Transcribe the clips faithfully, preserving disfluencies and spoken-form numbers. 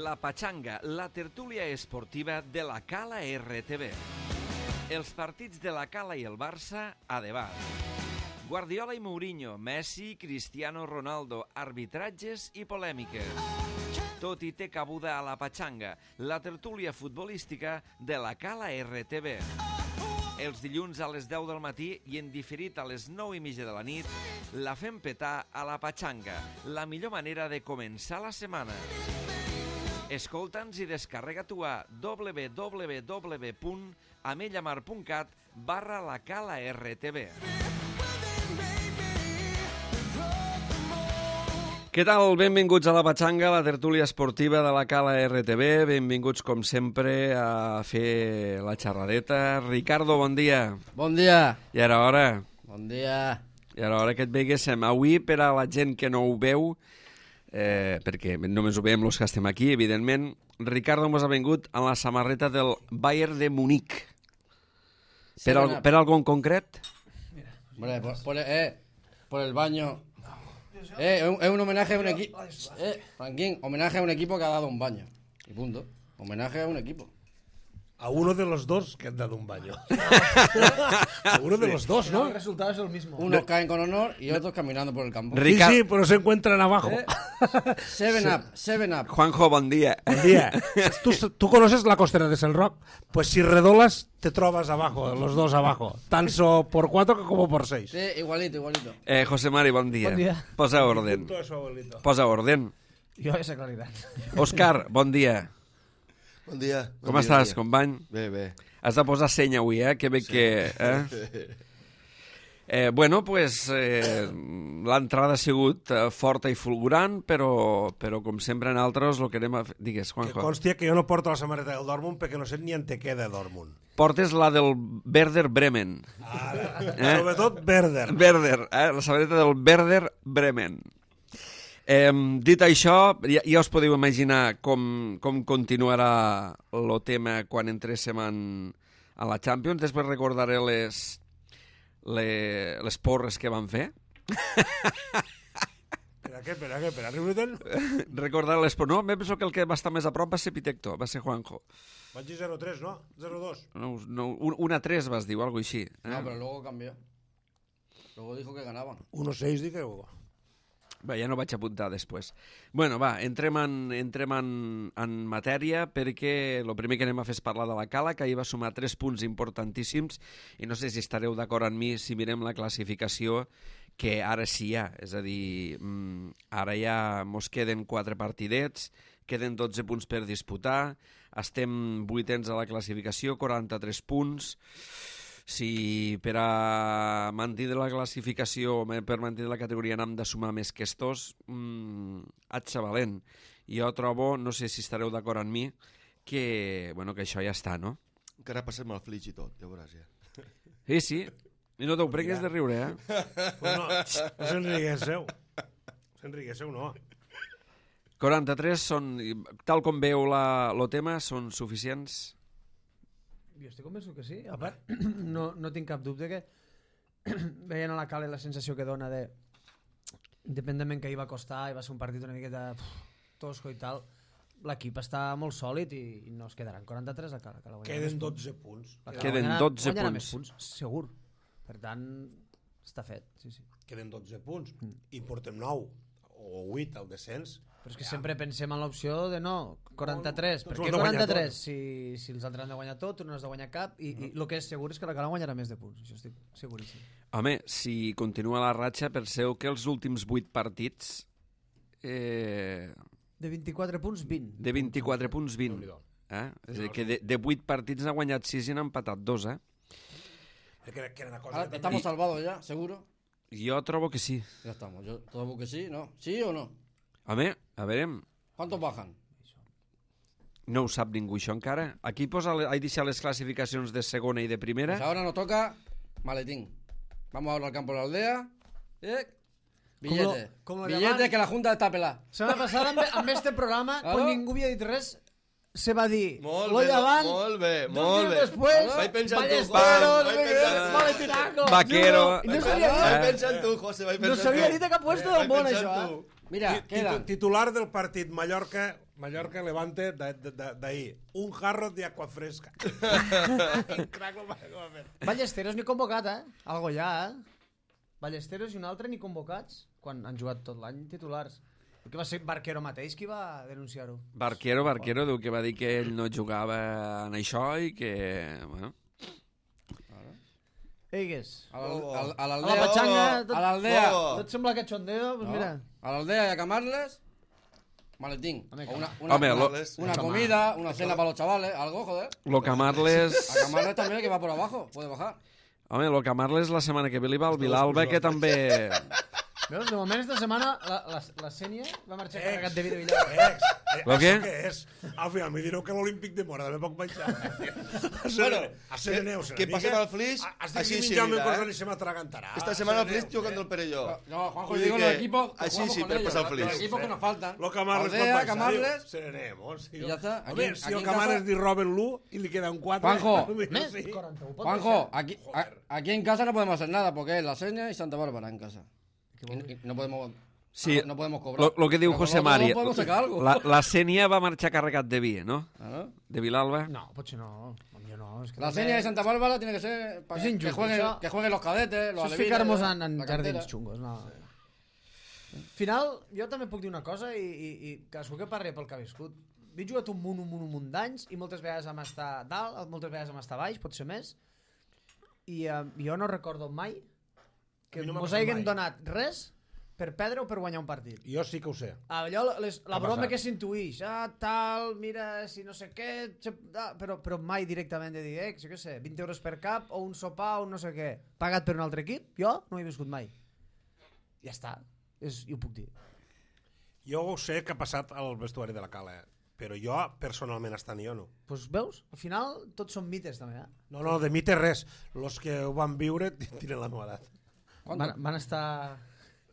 La Pachanga, la tertúlia esportiva de la Cala R T V. Els partits de la Cala i el Barça a debat. Guardiola i Mourinho, Messi, Cristiano Ronaldo, arbitratges i polèmiques. Tot hi té cabuda a La Pachanga, la tertúlia futbolística de la Cala R T V. Els dilluns a les deu del matí i en diferit a les nou i mitja de la nit, la fem petar a La Pachanga, la millor manera de començar la setmana. Escolta'ns i descarrega tu a w w w punt amellamar punt cat barra la Cala R T V. Què tal? Benvinguts a La Pachanga, la tertúlia esportiva de la Cala R T V. Benvinguts, com sempre, a fer la xerradeta. Ricardo, bon dia. Bon dia. I ara hora. Bon dia. I ara hora que et veiguéssim. Avui, per a la gent que no ho veu, eh, perquè només ho veiem els que estem aquí, evidentment, Ricardo mos ha vingut en la samarreta del Bayern de Múnich. Sí, per, al, per algo en concret? Hombre, por, por, eh, por el baño... Eh, es un, es un homenaje a un equipo. Eh, Franquín, homenaje a un equipo que ha dado un baño. Y punto. Homenaje a un equipo. A uno de los dos que han dado un baño. A uno de los dos, ¿no? El resultado es el mismo. Unos caen con honor y otros caminando por el campo. Rica... Sí, sí, pero se encuentran abajo. Eh, seven up, seven up. Juanjo, bon dia. Buen día. ¿Tú, tú conoces la costera de San Roque? Pues si redolas, te trovas abajo, los dos abajo. Tanto por cuatro como por seis. Sí, igualito, igualito. Eh, José Mari, bon dia. Bon dia. Posa orden. Punto de su abuelito. Posa orden. Jo esa claritat. Òscar, bon dia. Bon dia. Com bon estàs, dia. company? Bé, bé. Has de posar seny avui, eh? Que bé sí. que... Eh? Eh, bueno, pues eh, l'entrada ha sigut eh, forta i fulgurant, però, però com sempre en altres el que anem a fer... Digues, Que Juanjo. constia que jo no porto la samarreta del Dortmund perquè no sé ni en te queda Dortmund. Portes la del Werder Bremen. Ara. Eh? Sobretot Werder. Werder, eh? La samarreta del Werder Bremen. Eh, dit això, ja, ja us podeu imaginar com, com continuarà el tema quan entréssim en, a la Champions. Després recordaré les, les, les porres que van fer. Per què, per què, per arribar-te'n? Recordar les porres. No, em penso que el que va estar més a prop va ser Pitecto, va ser Juanjo. Vaig dir zero tres, no? zero dos. No, no, un a tres vas dir, o alguna així. Eh? No, pero luego cambió. Luego dijo que ganaban. uno seis, digueu. Va, ja no vaig apuntar després. Bueno, va, entrem en, entrem en, en matèria perquè el primer que anem a fer és parlar de la Cala, que ahir va sumar tres punts importantíssims i no sé si estareu d'acord amb mi si mirem la classificació, que ara sí hi ha. És a dir, mmm, ara ja mos queden quatre partidets, queden dotze punts per disputar, estem vuitens a la classificació, quaranta-tres punts... Si per a mantenir la classificació, per mantenir la categoria n'hem de sumar més que estos, mmm, atxa valent. Jo trobo, no sé si estareu d'acord amb mi, que, bueno, que això ja està, no? Encara passem el flitx i tot, ja veuràs ja. Sí, sí. I no t'ho pregues de riure, eh? Pues no, no s'enriguesseu. S'enriguesseu, no. quaranta-tres són, tal com veu la, lo tema, són suficients? Jo estic convençut que sí. A part, no, no tinc cap dubte que veient a la Cala la sensació que dona de independentment que hi va costar i va ser un partit una miqueta pff, tosco i tal, l'equip està molt sòlid i, i no es quedaran quaranta-tres a Cala. Cala Queden dotze punts. Queden dotze guanyarà punts. més punts, segur. Per tant, està fet. Sí, sí. Queden dotze punts. I portem nou o vuit al descens. Però és que sempre pensem en l'opció de no, quaranta-tres. Tots Per ho què han de guanyar quaranta-tres? Si, si els altres han de guanyar tot, tu no has de guanyar cap, i, i el que és segur és que la Cala guanyarà més de punts. Això estic seguríssim. Home, si continua la ratxa, penseu que els últims vuit partits... Eh, De vint-i-quatre punts, vint. de vint-i-quatre punts, vint. Eh? És a dir, que de, de vuit partits n'ha guanyat sis i n'ha empatat dos, eh? Que, que era una cosa Ahora, que ¿estamos salvados ya, seguro? Jo trobo que sí. Ya estamos. Yo trobo que sí, ¿no? ¿Sí o no? Home, a veure, ¿Cuántos bajan? no ho sap ningú això encara. Aquí posa, he deixat les classificacions de segona i de primera. Pues ahora nos toca maletín. Vamos ahora al campo de la aldea. Eh, Billetes. com lo Billetes llaman? que la Junta está pelada. Setmana passada, amb, amb este programa, Claro. quan ningú havia dit res, se va dir Molt lo bé, llevant, molt bé, dos molt dies bé. després, Vaig pensar en tu, ballesteros, Juan, vaig pensar en tu. maletinaco. Vaquero. No, no, no s'havia Vaig dit, pensar en tu, José, vaig no pensar en s'havia tu. dit a cap puesto del Vaig món, pensar això, en eh? tu. Mira, Ti- quedan. titu- Titular del partit Mallorca Mallorca Levante d'ahir. Un jarro de agua fresca. Ballesteros ni convocat, eh? Algo ja, eh? Ballesteros i un altre ni convocats, quan han jugat tot l'any titulars. Que va ser Barquero mateix qui va denunciar-ho. Barquero, Barquero, diu que va dir que ell no jugava en això i que... Bueno. Eigues. A l'aldea... A la pachanga... A l'aldea... Tot sembla cachondeo, doncs mira. A l'aldea y a Camarles... Maletín. O una, una, Home, una, lo- una comida, una cena para los chavales, algo, joder. Lo Camarles... A Camarles también, que va por abajo, puede bajar. Home, lo Camarles la setmana que ve li va al Vilalba, que també... Veus, de moment esta setmana la, la, la Sènia va marxar carregat de vida Villar. Ex, eh, Lo això què? què és? Al final me direu que l'Olímpic de Mora també poc menjar. A Bueno, a Sereneu, que pasen al Flix, Estic així menjant-me seguirà, coses eh? i se m'atragantarà. Esta semana al Flix jugando el Perelló. No, Juanjo, Vull yo digo dir los que equipos que així jugamos sí, con per ellos, passar el los Flix. equipos que nos faltan. Lo Camarles Aldea, pot baixar, Camarles... diu, Serenemos. I ja està. Aquí- Home, si aquí el en Camarles casa- li roben l'u i li queden quatre... Juanjo, Més, sí. quaranta-u. pot Juanjo, baixar. aquí, a- aquí en casa no podemos hacer nada porque es la Seña y Santa Bárbara en casa. Y, y no podemos... Sí, no, no podemos cobrar. Lo, lo que diu Pero José nosotros Mari, no podemos sacar algo. la, la Sènia va marxar carregat de vi, no? Ah, ¿no? De Vilalba. No, potser no. Potser no. És que La també- Seña de Santa Bárbara tiene que ser para Es que, injusto, jueguen, això- que jueguen los cadetes, los Això és alevines, ficar-nos en, en la cantera. jardins xungos, no. Al final, jo també puc dir una cosa i, i, i cadascú que parli pel que ha viscut. He jugat un munt, un munt, un munt d'anys i moltes vegades vam estar dalt, moltes vegades vam estar baix, potser més. I eh, jo no recordo mai que A mi no m'ha mos passat hagin mai. donat res per perdre o per guanyar un partit. Jo sí que ho sé. Allò, les, la ha broma passat? que s'intuïx, ah, tal, mira, si no sé què, xep- ah, però, però mai directament de dir, eh, jo què sé, vint euros per cap o un sopar o un no sé què, pagat per un altre equip, jo no ho he viscut mai. Ja està, és, i ho puc dir. Jo ho sé que ha passat al vestuari de la Cala, eh? Però jo, personalment, estant jo no. Doncs pues, veus, al final tots són mites també, eh? No, no, de mi té res. Los que ho van viure tenen la meva edat. Van, van estar...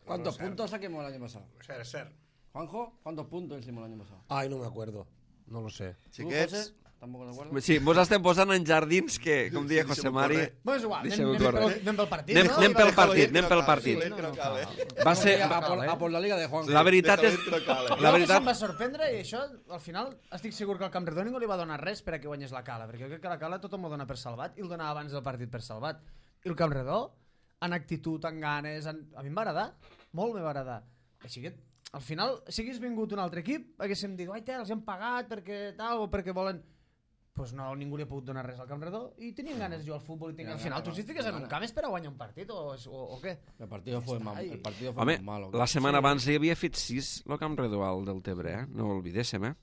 ¿Cuántos Bueno, puntos saquemos el año pasado? Ser, ser. Juanjo, ¿cuántos puntos hicimos el año pasado? Ai, no me acuerdo. No lo sé. ¿Tú, Xiquets, José? ¿Tampoco te acuerdas? Sí, vos estem posant en jardins que, com deia Sí, José deixa'm Mari... córrer. Bueno, és igual, anem, Deixa-ho anem, córrer. pel, anem pel partit, Anem, no? anem pel I va- partit, que anem no pel cal, partit. sí, que no cal, eh? Va ser... a, por, a por la liga de Juanjo. La veritat és... Déjalo entrar, La La veritat... veritat... em va sorprendre i això, al final, estic segur que al Camp Redó ningú li va donar res per a que guanyés la Cala, perquè jo crec que la Cala tothom ho dona per salvat i el donava abans del partit per salvat. I el Camp Redó, en actitud, en ganes, en... a mi em va agradar, molt me va agradar. Així que, al final, si hagués vingut un altre equip, haguéssim dit, ai, tel, els hem pagat perquè tal, o perquè volen... Pues no, ningú li ha pogut donar res al Camp Redó i tenien ganes de jugar al futbol i tenien... Al final, tu si estigues en un camp és per a guanyar un partit o, o, o què? El partido fue más, el partido fue Home, más malo. la setmana abans hi havia fet sis el Camp Redó al del Tebre, eh? No ho oblidéssim, eh?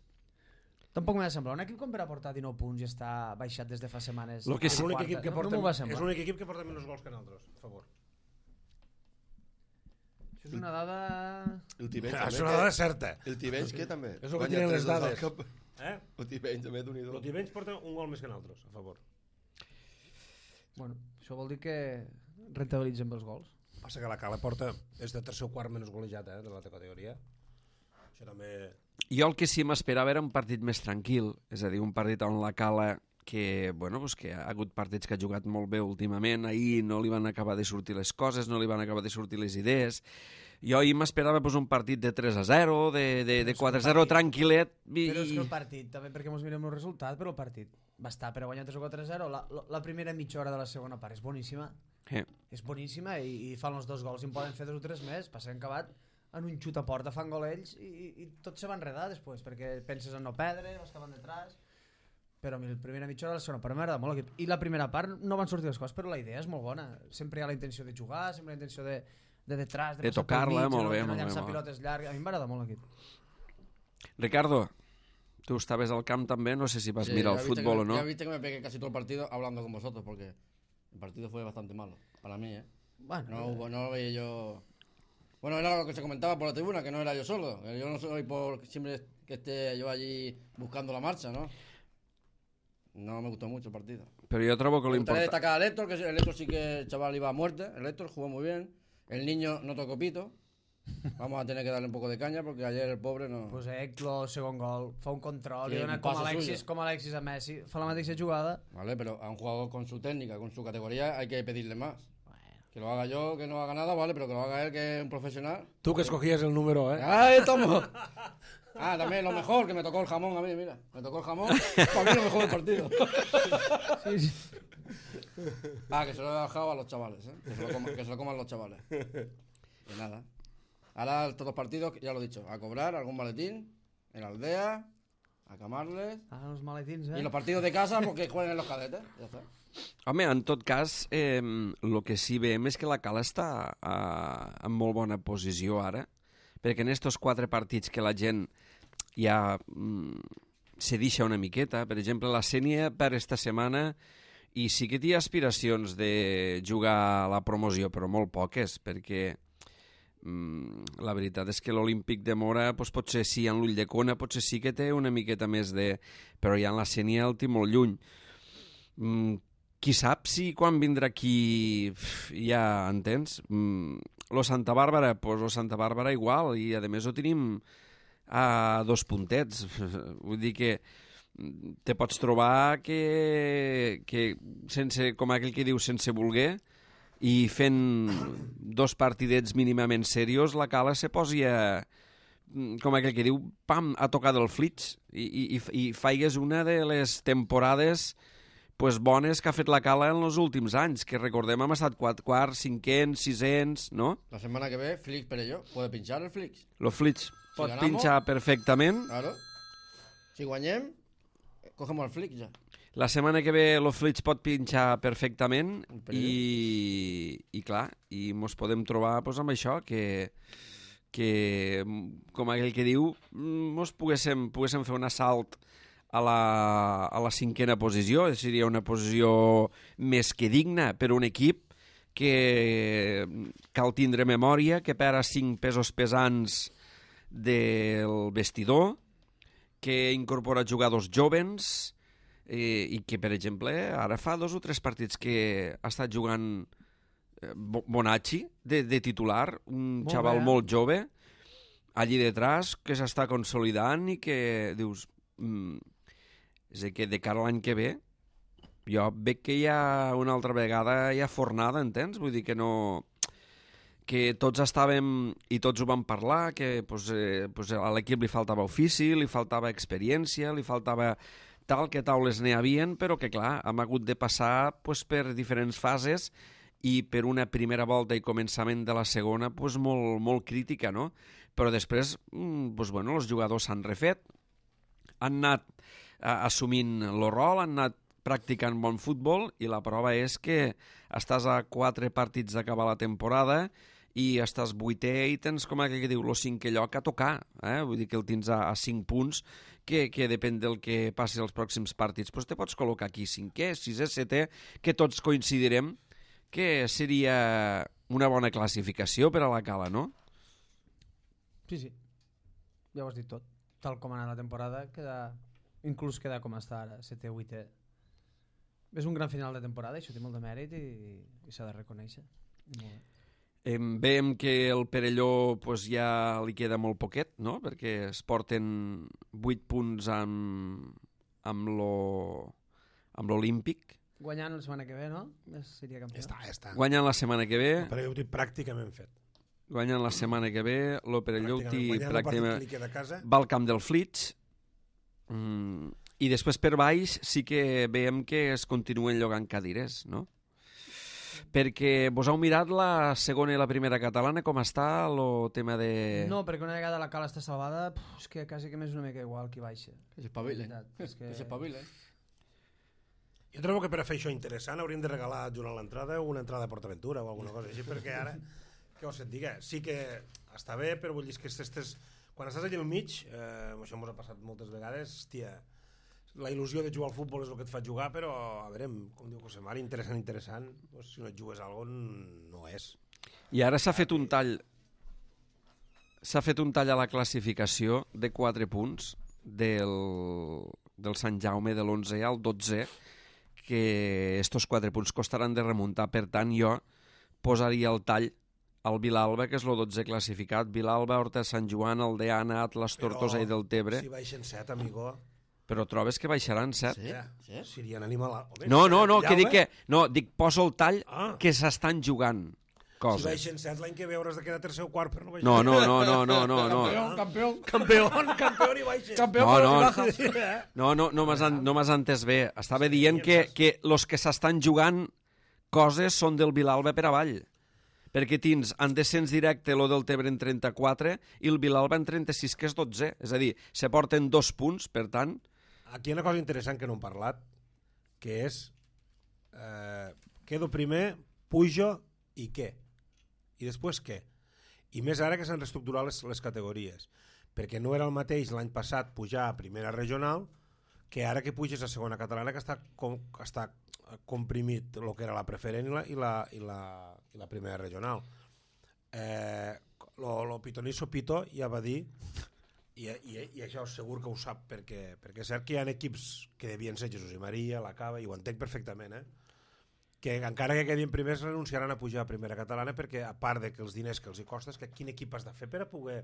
Tampoc m'ha de semblar. Un equip com per aportar dinou punts i està baixat des de fa setmanes. Lo que És sí- l'únic equip que no, porta, no m'ho va és semblar. l'únic equip que porta menys gols que nosaltres, a favor. Això és una dada... El Tivenys És també. una dada certa. El Tivenys que també. És el que Guanya tenen tres les dos al dades. cap. Eh? El Tivenys també, d'un i El dos. Tivenys porta un gol més que nosaltres, a favor. Bueno, això vol dir que rentabilitzen bé els gols. Passa que la Cala porta és de tercer o quart menys golejat, eh, de la categoria. Això també... Jo el que sí m'esperava era un partit més tranquil, és a dir, un partit on la Cala que, bueno, pues que ha hagut partits que ha jugat molt bé últimament, ahir no li van acabar de sortir les coses, no li van acabar de sortir les idees. Jo ahir m'esperava pues, un partit de tres a zero, de, de, de quatre a zero, tranquil·let. I... Però és que el partit, també perquè ens mirem el resultat, però el partit va estar per a guanyar tres o quatre a zero. La, la, la primera mitja hora de la segona part és boníssima. Eh. És boníssima i, i fan els dos gols i en poden fer dos o tres més. Passa que han acabat en un xut a porta, fan gol ells i, i, i tot se va enredar després perquè penses en no perdre, vas acabant detrás. Però a mi la primera mitja hora de la segona part m'agrada molt l'equip. I la primera part no van sortir les coses, però la idea és molt bona. Sempre hi ha la intenció de jugar, sempre hi ha la intenció de, de detrás, de, De passar pel tocar-la, mig, molt de bé, no molt bé, llançar molt bé. pilotes llargues. A mi m'agrada molt l'equip. Ricardo, tu estaves al camp també, no sé si vas Sí, mirar ya el viste fútbol que, o no. Ya viste que me pegué casi todo el partido hablando con vosotros porque el partido fue bastante malo para mí, ¿eh? Bueno, No, hubo, no lo veía yo... Bueno, era lo que se comentaba por la tribuna, que no era yo solo. Que yo no soy por siempre que esté yo allí buscando la marcha, ¿no? No me gustó mucho el partido. Però jo trobo que Me gustaría l'important... destacar a Héctor, que el Héctor sí que el chaval iba a muerte. El Héctor jugó muy bien. El niño no tocó pito. Vamos a tener que darle un poco de caña porque ayer el pobre no... pues Eclo, segon gol, fa un control, Sí, li dona un com pase Alexis, suyo. com Alexis a Messi, fa la mateixa jugada. Vale, pero a un jugador con su técnica, con su categoría, hay que pedirle más. Bueno, Que lo haga yo, que no haga nada, vale, pero que lo haga él, que es un profesional. Tú que escogías el número, ¿eh? ¡Ay, tomo! Ah, también lo mejor, que me tocó el jamón a mí, mira. Me tocó el jamón, para mí lo mejor del partido. Sí, sí. Ah, que se lo he dejado a los chavales, ¿eh? Que se lo, coma- que se lo coman los chavales. Y nada. Ahora estos dos partidos, ya lo he dicho, a cobrar algún maletín en la aldea, a camarles. Ah, los maletins, eh? Y los partidos de casa, porque jueguen en los cadetes. Ya está. Home, en tot cas, eh, el que sí veiem és que la Cala està eh, en molt bona posició ara, perquè en estos quatre partits que la gent ja mm, se deixa una miqueta, per exemple, la Sènia per esta setmana, i sí que té aspiracions de jugar a la promoció, però molt poques, perquè mm, la veritat és que l'Olímpic de Mora doncs, potser sí, en l'Ulldecona potser sí que té una miqueta més de... però ja en la Sènia el té molt lluny. Mm, qui sap si quan vindrà aquí ja entens? Mm, lo Santa Bàrbara, pues lo Santa Bàrbara igual, i a més ho tenim a dos puntets. Vull dir que te pots trobar que, que sense, com aquell que diu, sense voler, i fent dos partidets mínimament serios, la Cala se posi a, com aquell que diu, pam, a tocar del flits, i, i, i faigues una de les temporades pues, bones que ha fet la Cala en els últims anys, que recordem hem estat quatre quarts, cinquens, sisens, no? La semana que ve, Flix Perelló, ¿puede pinchar el Flix? Lo Flits pot ganamos, pinxar perfectament. Claro. Si guanyem, cogemos el Flix ya. La setmana que ve lo Flits pot pinxar perfectament Un període. i, i clar, i mos podem trobar pues, amb això, que, que com aquell que diu, mos poguéssim, poguéssim fer un assalt a la, a la cinquena posició, seria una posició més que digna per un equip que cal tindre memòria, que perd cinc pesos pesants del vestidor, que incorpora jugadors jovens eh, i que, per exemple, ara fa dos o tres partits que ha estat jugant eh, Bonacci de, de titular, un Molt xaval bé, eh? molt jove, allí detrás, que s'està consolidant i que dius... Mm, és a dir, que de cara a l'any que ve jo veig que hi ha una altra vegada hi ha fornada, entens? Vull dir que no... que tots estàvem i tots ho vam parlar, que pues, eh, pues a l'equip li faltava ofici, li faltava experiència, li faltava tal, que taules n'hi havien, però que clar, hem hagut de passar pues, per diferents fases i per una primera volta i començament de la segona pues, molt, molt crítica, no? Però després, mm, pues, bueno, els jugadors s'han refet, han anat assumint el rol, han anat practicant bon futbol i la prova és que estàs a quatre partits d'acabar la temporada i estàs vuitè i tens, com aquell que diu, el cinquè lloc a tocar. Eh? Vull dir que el tens a, a cinc punts, que, que depèn del que passi els pròxims partits. Però te pots col·locar aquí cinquè, sisè, setè, que tots coincidirem que seria una bona classificació per a la Cala, no? Sí, sí. Ja ho has dit tot. Tal com ha anat la temporada, queda... inclús queda com està ara, setè o vuitè. És un gran final de temporada, això té molt de mèrit i, i s'ha de reconèixer. Molt bé. Eh, veiem que el Perelló pues, ja li queda molt poquet, no? Perquè es porten vuit punts amb, amb lo, amb l'Olímpic. Guanyant la setmana que ve, no? Seria campió. Ja està, ja està. Guanyen la setmana que ve, Però jo ho tinc pràcticament fet. guanyen la setmana que ve, lo Perelló ho té Guanyant el partit pràcticament... que li queda a casa. Va al camp del Flits, mm, i després per baix sí que veiem que es continuen llogant cadires, no? Perquè vos heu mirat la segona i la primera catalana, com està el tema de... No, perquè una vegada la Cala està salvada, puf, és que quasi que m'és una mica igual qui baixa. Que s'espavilen. La veritat, és Que s'espavilen. Jo trobo que per a fer això interessant hauríem de regalar durant l'entrada una entrada a PortAventura o alguna cosa així, perquè ara, què vols que et diga? Sí que està bé, però vull dir que estes, quan estàs allà al mig, eh, això ens ha passat moltes vegades, hòstia, la il·lusió de jugar al futbol és el que et fa jugar, però a veure, com diu José Mari, interessant, interessant, doncs, si no et jugues a alguna cosa no és. I ara s'ha fet un tall s'ha fet un tall a la classificació de quatre punts del, del Sant Jaume de l'onze al dotze, que estos quatre punts costaran de remuntar. Per tant, jo posaria el tall al Vilalba, que és el dotze classificat. Vilalba, Horta, Sant Joan, Aldeana, Atlas, Tortosa i Deltebre. Si baixen set, amigo... Però trobes que baixaran set? Sí, sí. Serien animal... No, no, no, que dic que... No, dic, poso el tall Ah. que s'estan jugant. coses. baixen set, l'any que ve hauràs de quedar tercer o quart per no baixar. No, no, no, no, no, no, no. Campeón, campeón. Campeón, campeón i baixen. Campeón, No, pero no. ni bajas. No, no, no m'has en- no m'has entès bé. Estava dient que, que los que s'estan jugant coses són del Vilalba per avall. Perquè tens en descens directe lo del Tebre en trenta-quatre i el Vilalba en trenta-sis, que és dotze. És a dir, se porten dos punts, per tant... Aquí hi ha una cosa interessant que no hem parlat, que és eh, quedo primer, pujo i què? I després què? I més ara que s'han reestructurat les, les categories, perquè no era el mateix l'any passat pujar a primera regional que ara que puges a segona catalana, que està, com, està comprimit el que era la preferent i la, i la, i la, i la primera regional. Eh, lo, lo pitonisso Pito ja va dir, i, i, i això segur que ho sap, perquè, perquè és cert que hi ha equips que devien ser Jesús i Maria, la Cava, i ho entenc perfectament, eh? que encara que quedin primers renunciaran a pujar a primera catalana, perquè a part de que els diners que els hi costa, és que quin equip has de fer per a poder...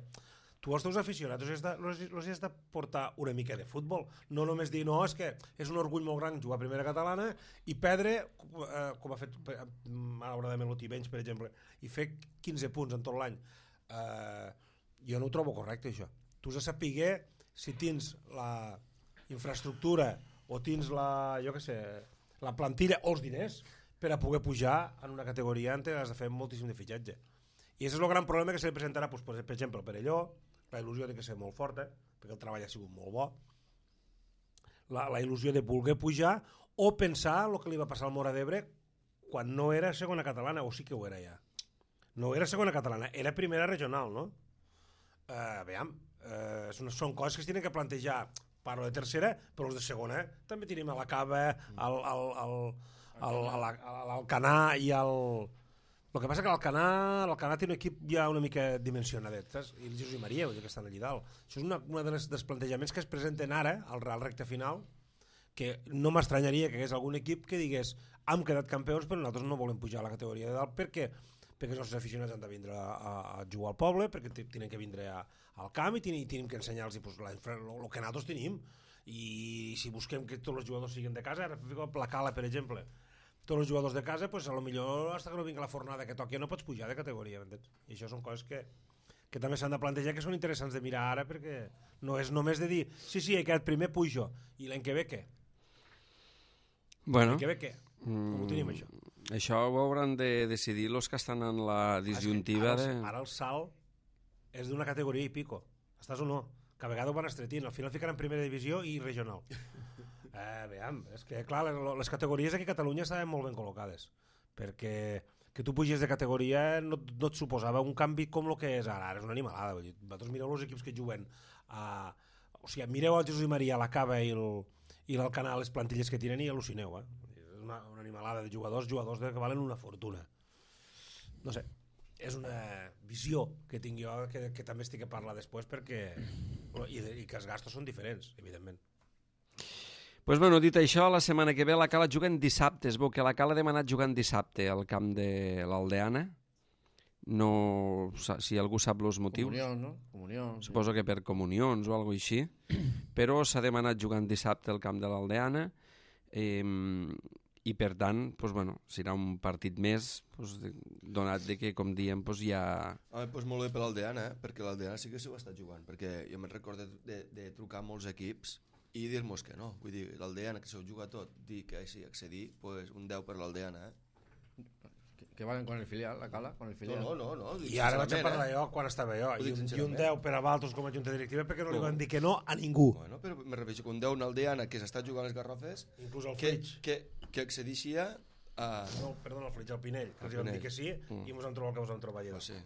Tu els teus aficionats els has de, els, els has de portar una mica de futbol, no només dir, no, és que és un orgull molt gran jugar a primera catalana i perdre, eh, com ha fet malauradament l'Oti Benys, per exemple, i fer quinze punts en tot l'any. Eh, jo no ho trobo correcte, això. Tu has de saber si tens la infraestructura o tens la, jo què sé, la plantilla o els diners per a poder pujar en una categoria en què has de fer moltíssim de fitxatge. I aquest és el gran problema que se li presentarà, doncs, per exemple, per allò, la il·lusió ha de ser molt forta, perquè el treball ha sigut molt bo, la, la il·lusió de voler pujar o pensar el que li va passar al Móra d'Ebre quan no era segona catalana, o sí que ho era ja. No era segona catalana, era primera regional, no? Uh, veiem, uh, són, són coses que es tenen que plantejar. Parlo de tercera, però els de segona també tenim a la Cava, al, al, al, al, al, al, al Canà i al... El que passa que l'Alcanar, l'Alcanar té un equip ja una mica dimensionadet, saps? I el Jesús i Maria, que estan allà dalt. Això és una, una dels, dels plantejaments que es presenten ara, al, al recte final, que no m'estranyaria que hi hagués algun equip que digués hem quedat campions però nosaltres no volem pujar a la categoria de dalt perquè, perquè els nostres aficionats han de vindre a, a, a jugar al poble, perquè tenen que vindre a, al camp i tenim, tenim que ensenyar-los pues, el que nosaltres tenim. I si busquem que tots els jugadors siguin de casa, ara la Cala, per exemple, tots els jugadors de casa, pues, a lo millor fins que no vingui la fornada que toqui no pots pujar de categoria, m'entens? I això són coses que, que també s'han de plantejar, que són interessants de mirar ara, perquè no és només de dir sí, sí, he quedat primer, pujo, i l'any que ve què? Bueno, L'any que ve què? Com ho tenim, això? això ho hauran de decidir els que estan en la disjuntiva ara, de... Ara el salt és d'una categoria i pico, estàs o no? Que a vegades ho van estretint, al final ficaran primera divisió i regional. Eh, veiem, és que clar, les categories aquí a Catalunya estaven molt ben col·locades, perquè que tu puges de categoria no, no et suposava un canvi com el que és ara, ara és una animalada. Vull dir, vosaltres mireu els equips que juguen a... O sigui, mireu el Jesús i Maria, la Cava i l'Alcanar, les plantilles que tenen i al·lucineu, eh? És una, una animalada de jugadors, jugadors que valen una fortuna. No sé, és una visió que tinc jo, que, que també estic a parlar després, perquè i, de, i que els gastos són diferents, evidentment. Pues bueno, dit això, la setmana que ve la Cala juga en dissabte. Es veu que la Cala ha demanat jugant dissabte al camp de l'Aldeana. No, si algú sap els motius. Comunió, no? Comunió. Suposo que per comunions o alguna cosa així. Però s'ha demanat jugant dissabte al camp de l'Aldeana. Eh, I per tant, pues bueno, serà un partit més, pues, donat de que, com diem, pues ja... Home, doncs molt bé per l'Aldeana, eh? Perquè l'Aldeana sí que s'ho està jugant, perquè jo me'n recordo de, de, de trucar a molts equips i dir-nos que no, vull dir, l'Aldeana que s'ho juga tot, dir que sí, accedir, pues un deu per l'Aldeana, eh? Que, que valen con el filial, la Cala, con el filial. No, no, no, no. I ara vaig a parlar eh? jo quan estava jo, i un, i un deu per a Valtos com a junta directiva perquè no, no li van dir que no a ningú. Bueno, però me refereixo que un deu en Aldeana que s'està jugant les Garrofes, inclús el que, Flix. que, que accedixia a... No, perdona, el Flix, el Pinell, que els El van dir Pinell. que sí Mm. i mos han trobat el que mos han trobat allà. No sé.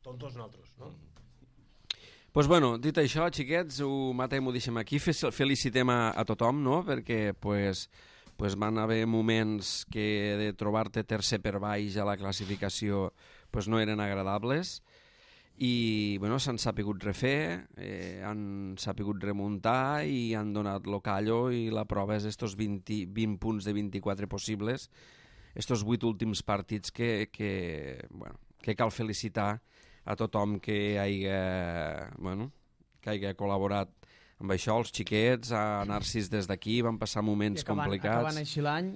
Tontos nosaltres, no? Mm. Pues bueno, dit això, xiquets, ho matem, ho deixem aquí. Felicitem a, a tothom, no?, perquè pues, pues van haver moments que de trobar-te tercer per baix a la classificació pues no eren agradables i bueno, s'han sapigut refer, eh, han sapigut remuntar i han donat lo callo i la prova és estos vint, vint punts de vint-i-quatre possibles, estos vuit últims partits que, que, bueno, que cal felicitar a tothom que haiga, bueno, que haiga col·laborat amb això, els xiquets, a Narcís des d'aquí, van passar moments I acabant, complicats. acabant així l'any...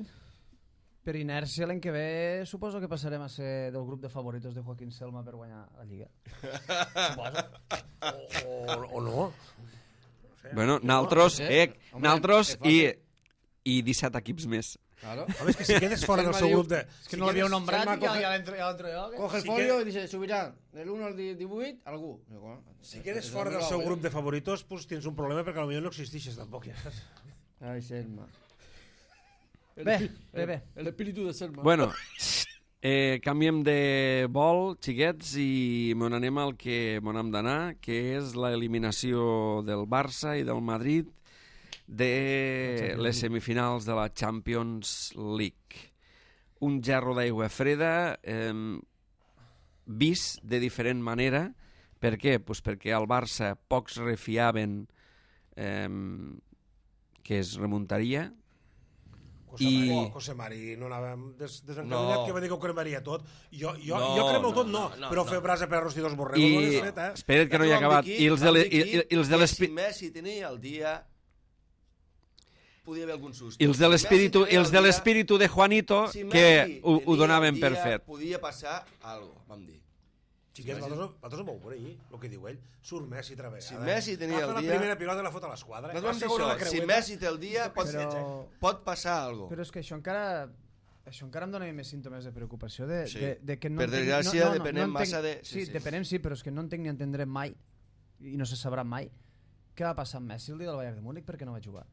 per inèrcia l'any que ve suposo que passarem a ser del grup de favoritos de Joaquín Selma per guanyar la Lliga. Suposo. O, o, o no. No sé. Bueno, naltros, no sé. eh, Home, naltros és i, fàcil. i disset equips més. Claro. Home, és que si quedes fora del seu grup de... És que no l'havíeu nombrat Selma i ja, coge- ja l'entro ja l'entro jo. que- Coge el Sí folio que- i dice, subirà del uno al divuit algú. Digo, bueno, Si quedes és fora el del meu seu avi. grup de favoritos, pues tens un problema perquè potser no existeixes tampoc, ja saps? Ai, Selma. Bé, bé, bé. El espíritu de Selma. Bueno, eh, canviem de vol, xiquets, i mon anem al que mon hem d'anar, que és l'eliminació del Barça i del Madrid de les semifinals de la Champions League. Un gerro d'aigua freda, eh, vist de diferent manera. Per què? Pues perquè al Barça pocs refiaven eh, que es remuntaria. Cosa I- Mari, Cosa Mari, no anàvem des, desencallat, No. que va dir que ho cremaria tot. Jo, jo, No, jo cremo no, tot, no, no, no, però no. fer brasa per arrostir dos borregos I no l'he fet, eh? espera't que no hi ha acabat. I els de, le, i, i, i els de Si l'espíritu... Messi tenia el dia, podia haver algun susto. I els de Si l'espíritu Messi i els de tenia el l'espíritu de Juanito dia- si que Messi ho, ho tenia donaven el per dia, fet. Podia passar algo, vam dir. Xiquets, nosaltres, nosaltres ho vau veure ahir, el que diu ell. Surt Messi altra vegada. Si Messi tenia Agafa el dia- la primera pilota i la fot a l'esquadra. Nosaltres La vam dir segona la això, si creueta. Messi té el dia, pot, Però- pot passar algo. Però és que això encara... Això encara em dona més símptomes de preocupació de, Sí. de, de que no Per entenc- desgràcia, no, no, no, depenem no entenc- massa de- sí, Sí, sí. depenem sí, però és que no entenc ni entendrem mai i no se sabrà mai què va passar amb Messi el dia del Bayern de Múnich perquè no va jugar.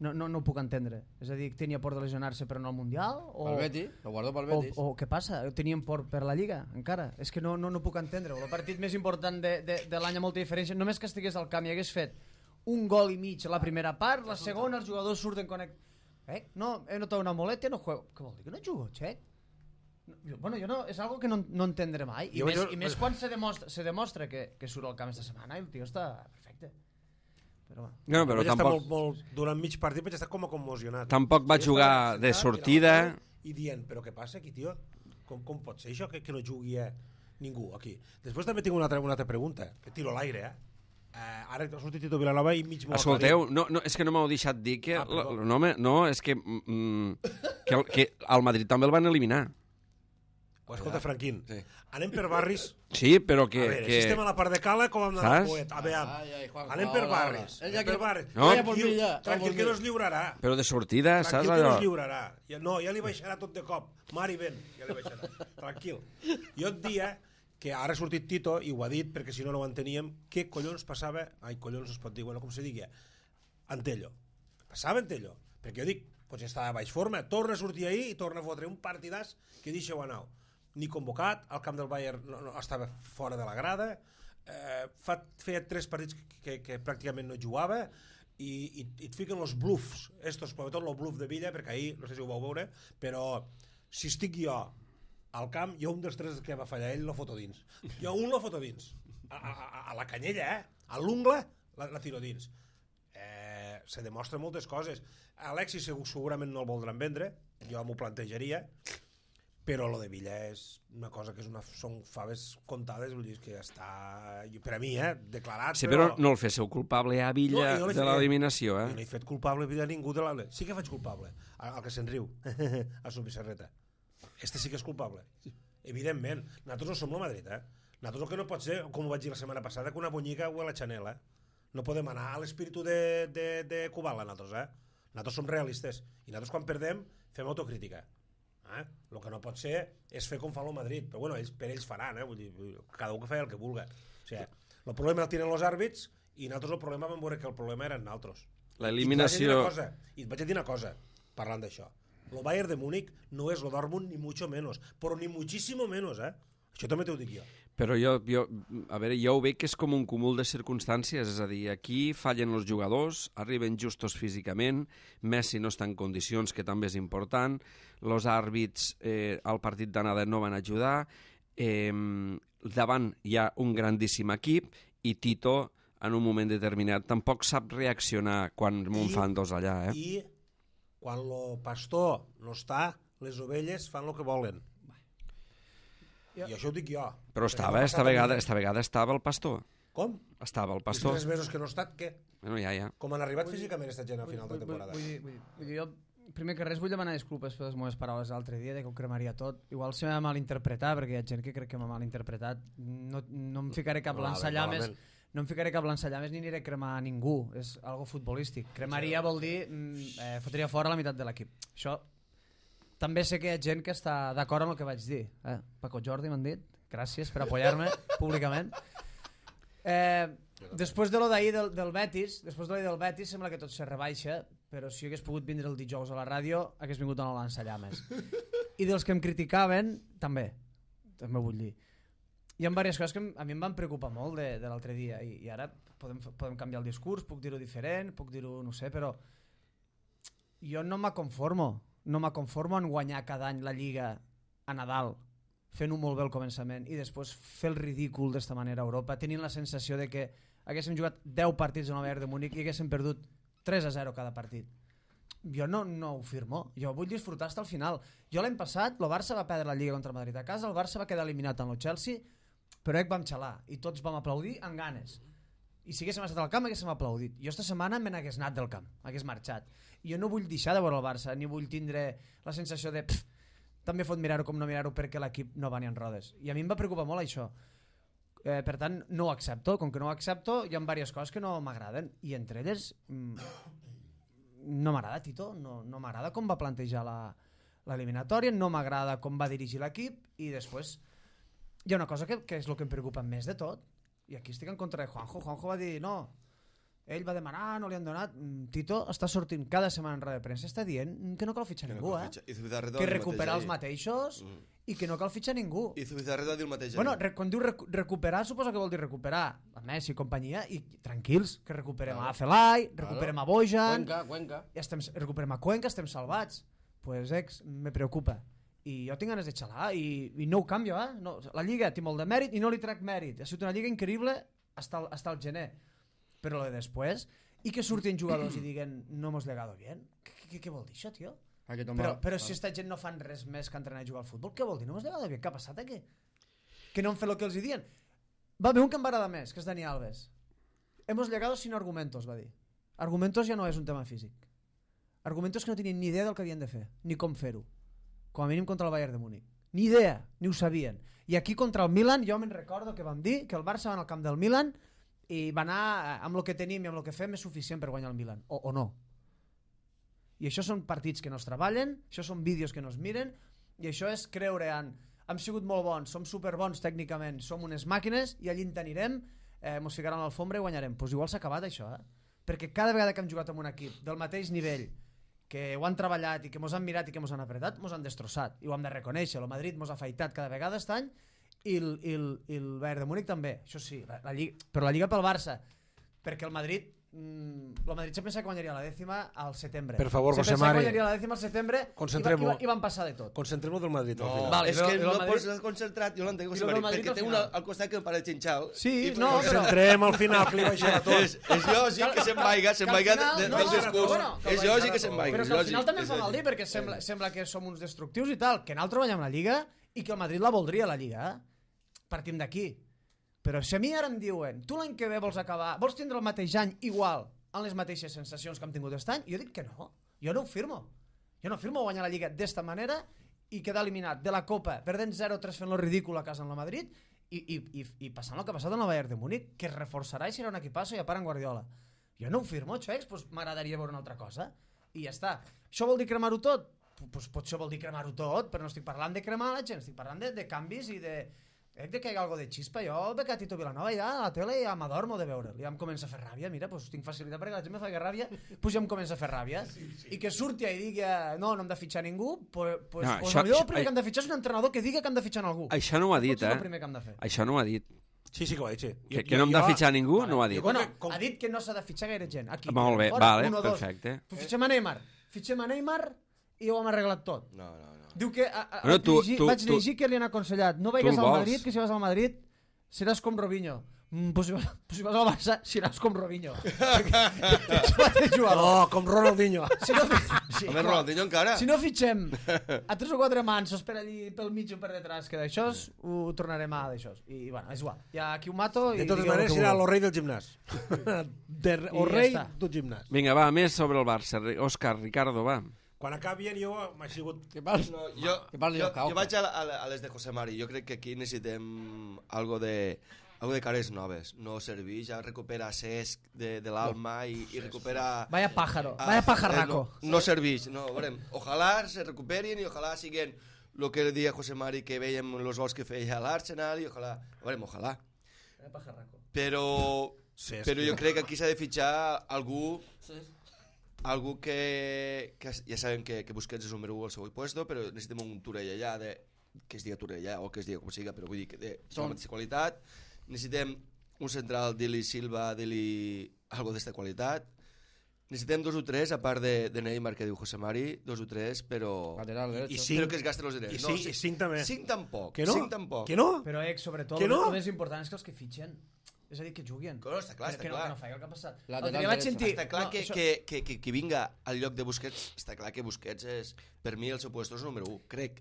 No, no, no ho puc entendre. És a dir, tenia por de lesionar-se però no al Mundial? O, Pel Betis, lo guardo pel o, Betis. o què passa? Tenien por per la Lliga encara? És que no, no, no puc entendre. El partit més important de, de, de l'any amb molta diferència, només que estigués al camp i hagués fet un gol i mig a la primera part, la segona els jugadors surten connect... Eh? No, he notat una molètia, no juego. Què vol dir que no jugo, Xec? No, jo- bueno, jo no, és algo que no, no entendré mai. I, Jo més, vaig- i més quan se demostra, se demostra que, que surt al camp esta setmana i el tio està perfecte. Però bueno. No, però Vaig estar tampoc, molt, molt, durant mig partit vaig estar com a commocionat. tampoc va I jugar estava de sentat, sortida. i anava I dient, però què passa aquí, tio? Com, com pot ser això que, que no jugui eh, ningú aquí? Després també tinc una altra, una altra pregunta, que tiro a l'aire, eh? Uh, ara ha sortit Tito Vilanova i mig m'ho ha Escolteu, no, no, és que no m'heu deixat dir que... Ah, perdó. l- no, home, no, és que, mm, que, el, que al Madrid també el van eliminar. Pues escolta, Franquín, Sí. anem per barris. Sí, però que... a veure, que... si estem a la part de cala, com hem d'anar al Saps? poet? A veure, Ai, ai, Juanjo, anem per ahora, barris. ahora. Ell ja Anem per que- barris. No. Vaya por Tranquil, mi ya, tranquil vamos que no bien. es lliurarà. Però de sortida, saps Tranquil que no allò? es lliurarà. Ja, no, ja li baixarà tot de cop. Mari, ven, ja li baixarà. Tranquil. Jo et dia que ara ha sortit Tito, i ho ha dit, perquè si no no ho enteníem, què collons passava... Ai, collons no es pot dir, bueno, com se digui, Antello. Passava Antello. Perquè jo dic, potser estava a baix forma, torna a sortir ahir i torna a fotre un partidàs que deixeu anar. Ni convocat, al camp del Bayern no, no, estava fora de la grada, eh, fa, feia tres partits que, que, que pràcticament no jugava, i, i, i et fiquen els bluffs, estos, sobretot el bluff de Villa, perquè ahir, no sé si ho vau veure, però si estic jo al camp, jo un dels tres que va fallar ell lo foto dins. Jo un lo foto dins. A, a, a, a la canyella, eh? A l'ungla, la, la tiro dins. Eh, se demostra moltes coses. Alexis segur, segurament no el voldran vendre, jo m'ho plantejaria, però lo de Villa és una cosa que és una, són faves comptades, vull dir que està, per a mi, eh, declarat, Sí, però no el féssiu culpable a Villa No, jo no de l'he- l'eliminació, jo no eh? he fet culpable a ningú de la... Sí que faig culpable, al al que se'n riu, a su Pissarreta. Este sí que és culpable. Evidentment, nosaltres no som el Madrid, eh? Nosaltres el que no pot ser, com ho vaig dir la setmana passada, que una bonyiga o a la Chanel, eh? No podem anar a l'espíritu de, de, de Kubala, nosaltres, eh? Nosaltres som realistes. I nosaltres quan perdem fem autocrítica. Eh? El que no pot ser és fer com fa el Madrid. Però bueno, ells, per ells faran, eh? Vull dir, cada un que fa el que vulga. O sigui, el problema el tenen els àrbits i nosaltres el problema vam veure que el problema eren nosaltres. L'eliminació... I et vaig a dir una cosa, parlant d'això. El Bayern de Múnich no és el Dortmund ni mucho menos, però ni muchísimo menos, eh? Això també t'ho dic jo. Però jo, jo, a veure, jo ho veig que és com un cúmul de circumstàncies, és a dir, aquí fallen els jugadors, arriben justos físicament, Messi no està en condicions, que també és important, els àrbits eh, al partit d'anada no van ajudar, eh, davant hi ha un grandíssim equip i Tito, en un moment determinat, tampoc sap reaccionar quan me'n I- fan dos allà, eh? I quan el pastor no està, les ovelles fan el que volen. Ja. I això ho dic jo. Però Perquè estava, no ha esta passat a vegada, mi. esta vegada estava el pastor. Com? Estava el Els pastor. tres mesos que no ha estat, què? Bueno, ja, ja. Com han arribat físicament esta gent al final de Vull- temporada? Vull, vull, dir, vull dir, jo primer que res vull demanar disculpes per les meves paraules l'altre dia, de que ho cremaria tot. Igual se m'ha malinterpretat, perquè hi ha gent que crec que m'ha malinterpretat. No, no em ficaré cap lançallames, no em ficaré cap lançallames ni aniré a cremar a ningú. És algo futbolístic. Cremaria vol dir eh, fotria fora la meitat de l'equip. Això també sé que hi ha gent que està d'acord amb el que vaig dir. Eh? Paco Jordi m'han dit. Gràcies per apoyar-me públicament. Eh, després de lo d'ahir del, del Betis, després de l'ahir del Betis sembla que tot se rebaixa, però si hagués pogut vindre el dijous a la ràdio hagués vingut a no lançallames. I dels que em criticaven també, també vull dir. Hi ha diverses coses que a mi em van preocupar molt de, de l'altre dia i, i ara podem, podem canviar el discurs, puc dir-ho diferent, puc dir-ho, no sé, però jo no m'aconformo, no m'aconformo en guanyar cada any la Lliga a Nadal, fent-ho molt bé al començament i després fer el ridícul d'esta manera a Europa, tenint la sensació de que haguéssim jugat deu partits a Nova Bayern de Múnich i haguéssim perdut tres a zero cada partit. Jo no, no ho firmo, jo vull disfrutar fins al final. Jo l'any passat, el Barça va perdre la Lliga contra el Madrid a casa, el Barça va quedar eliminat amb el Chelsea, però ec vam xalar i tots vam aplaudir amb ganes. I si haguéssim estat al camp haguéssim aplaudit. Jo esta setmana me n'hagués anat del camp, hagués marxat. I jo no vull deixar de veure el Barça, ni vull tindre la sensació de pff, també fot mirar-ho com no mirar-ho perquè l'equip no va ni en rodes. I a mi em va preocupar molt això. Eh, per tant, no ho accepto. Com que no ho accepto, hi ha diverses coses que no m'agraden. I entre elles, mm, no m'agrada Tito, no, no m'agrada com va plantejar l'eliminatòria, no m'agrada com va dirigir l'equip i després hi ha una cosa que, que és el que em preocupa més de tot. I aquí estic en contra de Juanjo. Juanjo va dir, no, ell va demanar, no li han donat. Tito està sortint cada setmana en roda de premsa, està dient que no cal fitxar que ningú, no eh? Que recuperar els mateixos mm. i que no cal fitxar ningú. I Zubizarreta diu el mateix. Bueno, quan diu rec recuperar, suposa que vol dir recuperar a Messi i companyia, i tranquils, que recuperem claro. a Felai, recuperem claro. a Bojan, Cuenca, Cuenca. I estem, recuperem a Cuenca, estem salvats. Pues, ex, me preocupa. I jo tinc ganes de xalar i, i no ho canvio, eh? No, la Lliga té molt de mèrit i no li trec mèrit. Ha sigut una Lliga increïble hasta el, hasta el gener. Però lo de després, i que surtin jugadors i diguen no hemos legado bien. Què, què vol dir això, tio? Però, però si esta gent no fan res més que entrenar i jugar al futbol, què vol dir? No hemos legado bien. Què ha passat aquí? Que no han fet el que els hi diuen. Va haver un que em va agradar més, que és Dani Alves. Hemos legado sin argumentos, va dir. Argumentos ja no és un tema físic. Argumentos que no tenien ni idea del que havien de fer, ni com fer-ho. Com a mínim contra el Bayern de Múnich. Ni idea, ni ho sabien. I aquí contra el Milan, jo me'n recordo que vam dir que el Barça va al camp del Milan i va anar amb el que tenim i amb el que fem és suficient per guanyar el Milan, o, o no. I això són partits que no es treballen, això són vídeos que no es miren, i això és creure en hem sigut molt bons, som superbons tècnicament, som unes màquines i allí en tenirem, eh, mos ficaran a l'alfombra i guanyarem. Doncs pues igual s'ha acabat això, eh? Perquè cada vegada que hem jugat amb un equip del mateix nivell, que ho han treballat i que mos han mirat i que mos han apretat, mos han destrossat, i ho hem de reconèixer. El Madrid mos ha afaitat cada vegada aquest any i el, i el, i el Bayern de Múnich també, això sí, la, la Lliga, però la Lliga pel Barça, perquè el Madrid mm, el Madrid se pensa que guanyaria la dècima al setembre. Per favor, se José pensa Mari, que guanyaria la dècima al setembre i, va, i, va, i van passar de tot. Concentrem-ho del Madrid no, al final. Vale, és que no Madrid... pots estar concentrat, jo l'entenc, José Mari, perquè té una al costat que em pareix xinxal. Sí, i no, però... Concentrem al final, que li baixarà tot. És, és lògic que se'n vaiga, se'n vaiga de, de, del discurs. Bueno, és lògic que se'n vaiga. Però que al final també em fa mal dir, perquè sembla, sembla que som uns destructius i tal, que nosaltres guanyem la Lliga i que el Madrid la voldria, la Lliga. Eh? Partim d'aquí. Però si a mi ara em diuen tu l'any que ve vols acabar, vols tindre el mateix any igual, amb les mateixes sensacions que hem tingut aquest any, jo dic que no, jo no ho firmo. Jo no firmo guanyar la Lliga d'esta manera i quedar eliminat de la Copa, perdent zero tres fent lo ridícul a casa en el Madrid i, i, i, i passant el que ha passat en el Bayern de Múnich, que es reforçarà i serà un equipasso i a part en Guardiola. Jo no ho firmo, això, doncs m'agradaria veure una altra cosa i ja està. Això vol dir cremar-ho tot? Pues potser vol dir cremar-ho tot, però no estic parlant de cremar la gent, estic parlant de, de canvis i de... Crec que hi ha algo de xispa. Jo veig a Tito Vilanova ja a la tele i ja m'adormo de veure'l. Ja em comença a fer ràbia. Mira, pues, tinc facilitat perquè la gent me fa ràbia, pues ja em comença a fer ràbia. Sí, sí. I que surti i digui no, no hem de fitxar ningú, pues, pues, no, pues això, el això, primer que hem de fitxar és un entrenador que digui que hem de fitxar algú. Això no ho ha dit, eh? És el primer que hem de fer. Això no ho ha dit. Sí, sí que ho ha dit, sí. Que, que no hem de fitxar ningú, no ho ha dit. Bueno, ha dit que no s'ha de fitxar gaire gent. Aquí, molt bé, fora, vale, uno, perfecte. Pues fitxem a Neymar. Fitxem a Neymar i ho hem arreglat tot. No, no, no. Diu que a, a, bueno, tu, llegir, tu, vaig tu, llegir que li han aconsellat no vagis al Madrid, que si vas al Madrid seràs com Robinho. Mm, pues, si vas, pues si vas al Barça seràs com Robinho. No, com Ronaldinho. Si no, sí, Home, Ronaldinho encara. Si no fitxem a tres o quatre mansos per allí pel mig o per detrás, que d'això ho tornarem a d'això. I bueno, és igual. Ja aquí ho mato. De i totes maneres serà el rei del gimnàs. De, o rei ja del gimnàs. Vinga, va, més sobre el Barça. Òscar, Ricardo, va. quan acabien jo m'ha sigut... Què parles? No, jo, Que parli jo, el Cauca. jo vaig a, a, a les de José Mari. Jo crec que aquí necessitem algo de, algo de cares noves. No serveix, ja recupera Cesc de, de l'Alma i, i recupera... Vaya pájaro, Ah, vaya eh, pajarraco. No, no serveix, no, veurem. Ojalà se recuperin i ojalà siguen el que deia José Mari que veiem els gols que feia a l'Arsenal i ojalà, veurem, ojalà. Vaya pajarraco. Però, Sí, és però que- jo crec que aquí s'ha de fitxar algú Sí. algú que, que ja sabem que, que Busquets és el número u al seu puesto, però necessitem un Torell allà de, que es diga Torell allà o que es diga com siga, però vull dir que de Són- la mateixa qualitat. Necessitem un central, Dili Silva, Dili algo d'esta qualitat. Necessitem dos o tres, a part de, de Neymar, que diu José Mari, dos o tres, però... Lateral I derecho. cinc. Però que es gasten els diners. I cinc, i cinc també. Cinc tampoc. Que no? Cinc tampoc. Que no? Però, Ex, sobretot, Que no? el més important és que els que fitxen, és a dir, que juguen. No, està clar, que, està que, no, clar. que no faig el que ha passat. Lateral L'altre dia vaig dret. sentir... Està clar no, que, això- que, que, que, que vinga al lloc de Busquets, està clar que Busquets és, per mi, el seu puesto és el número u, crec.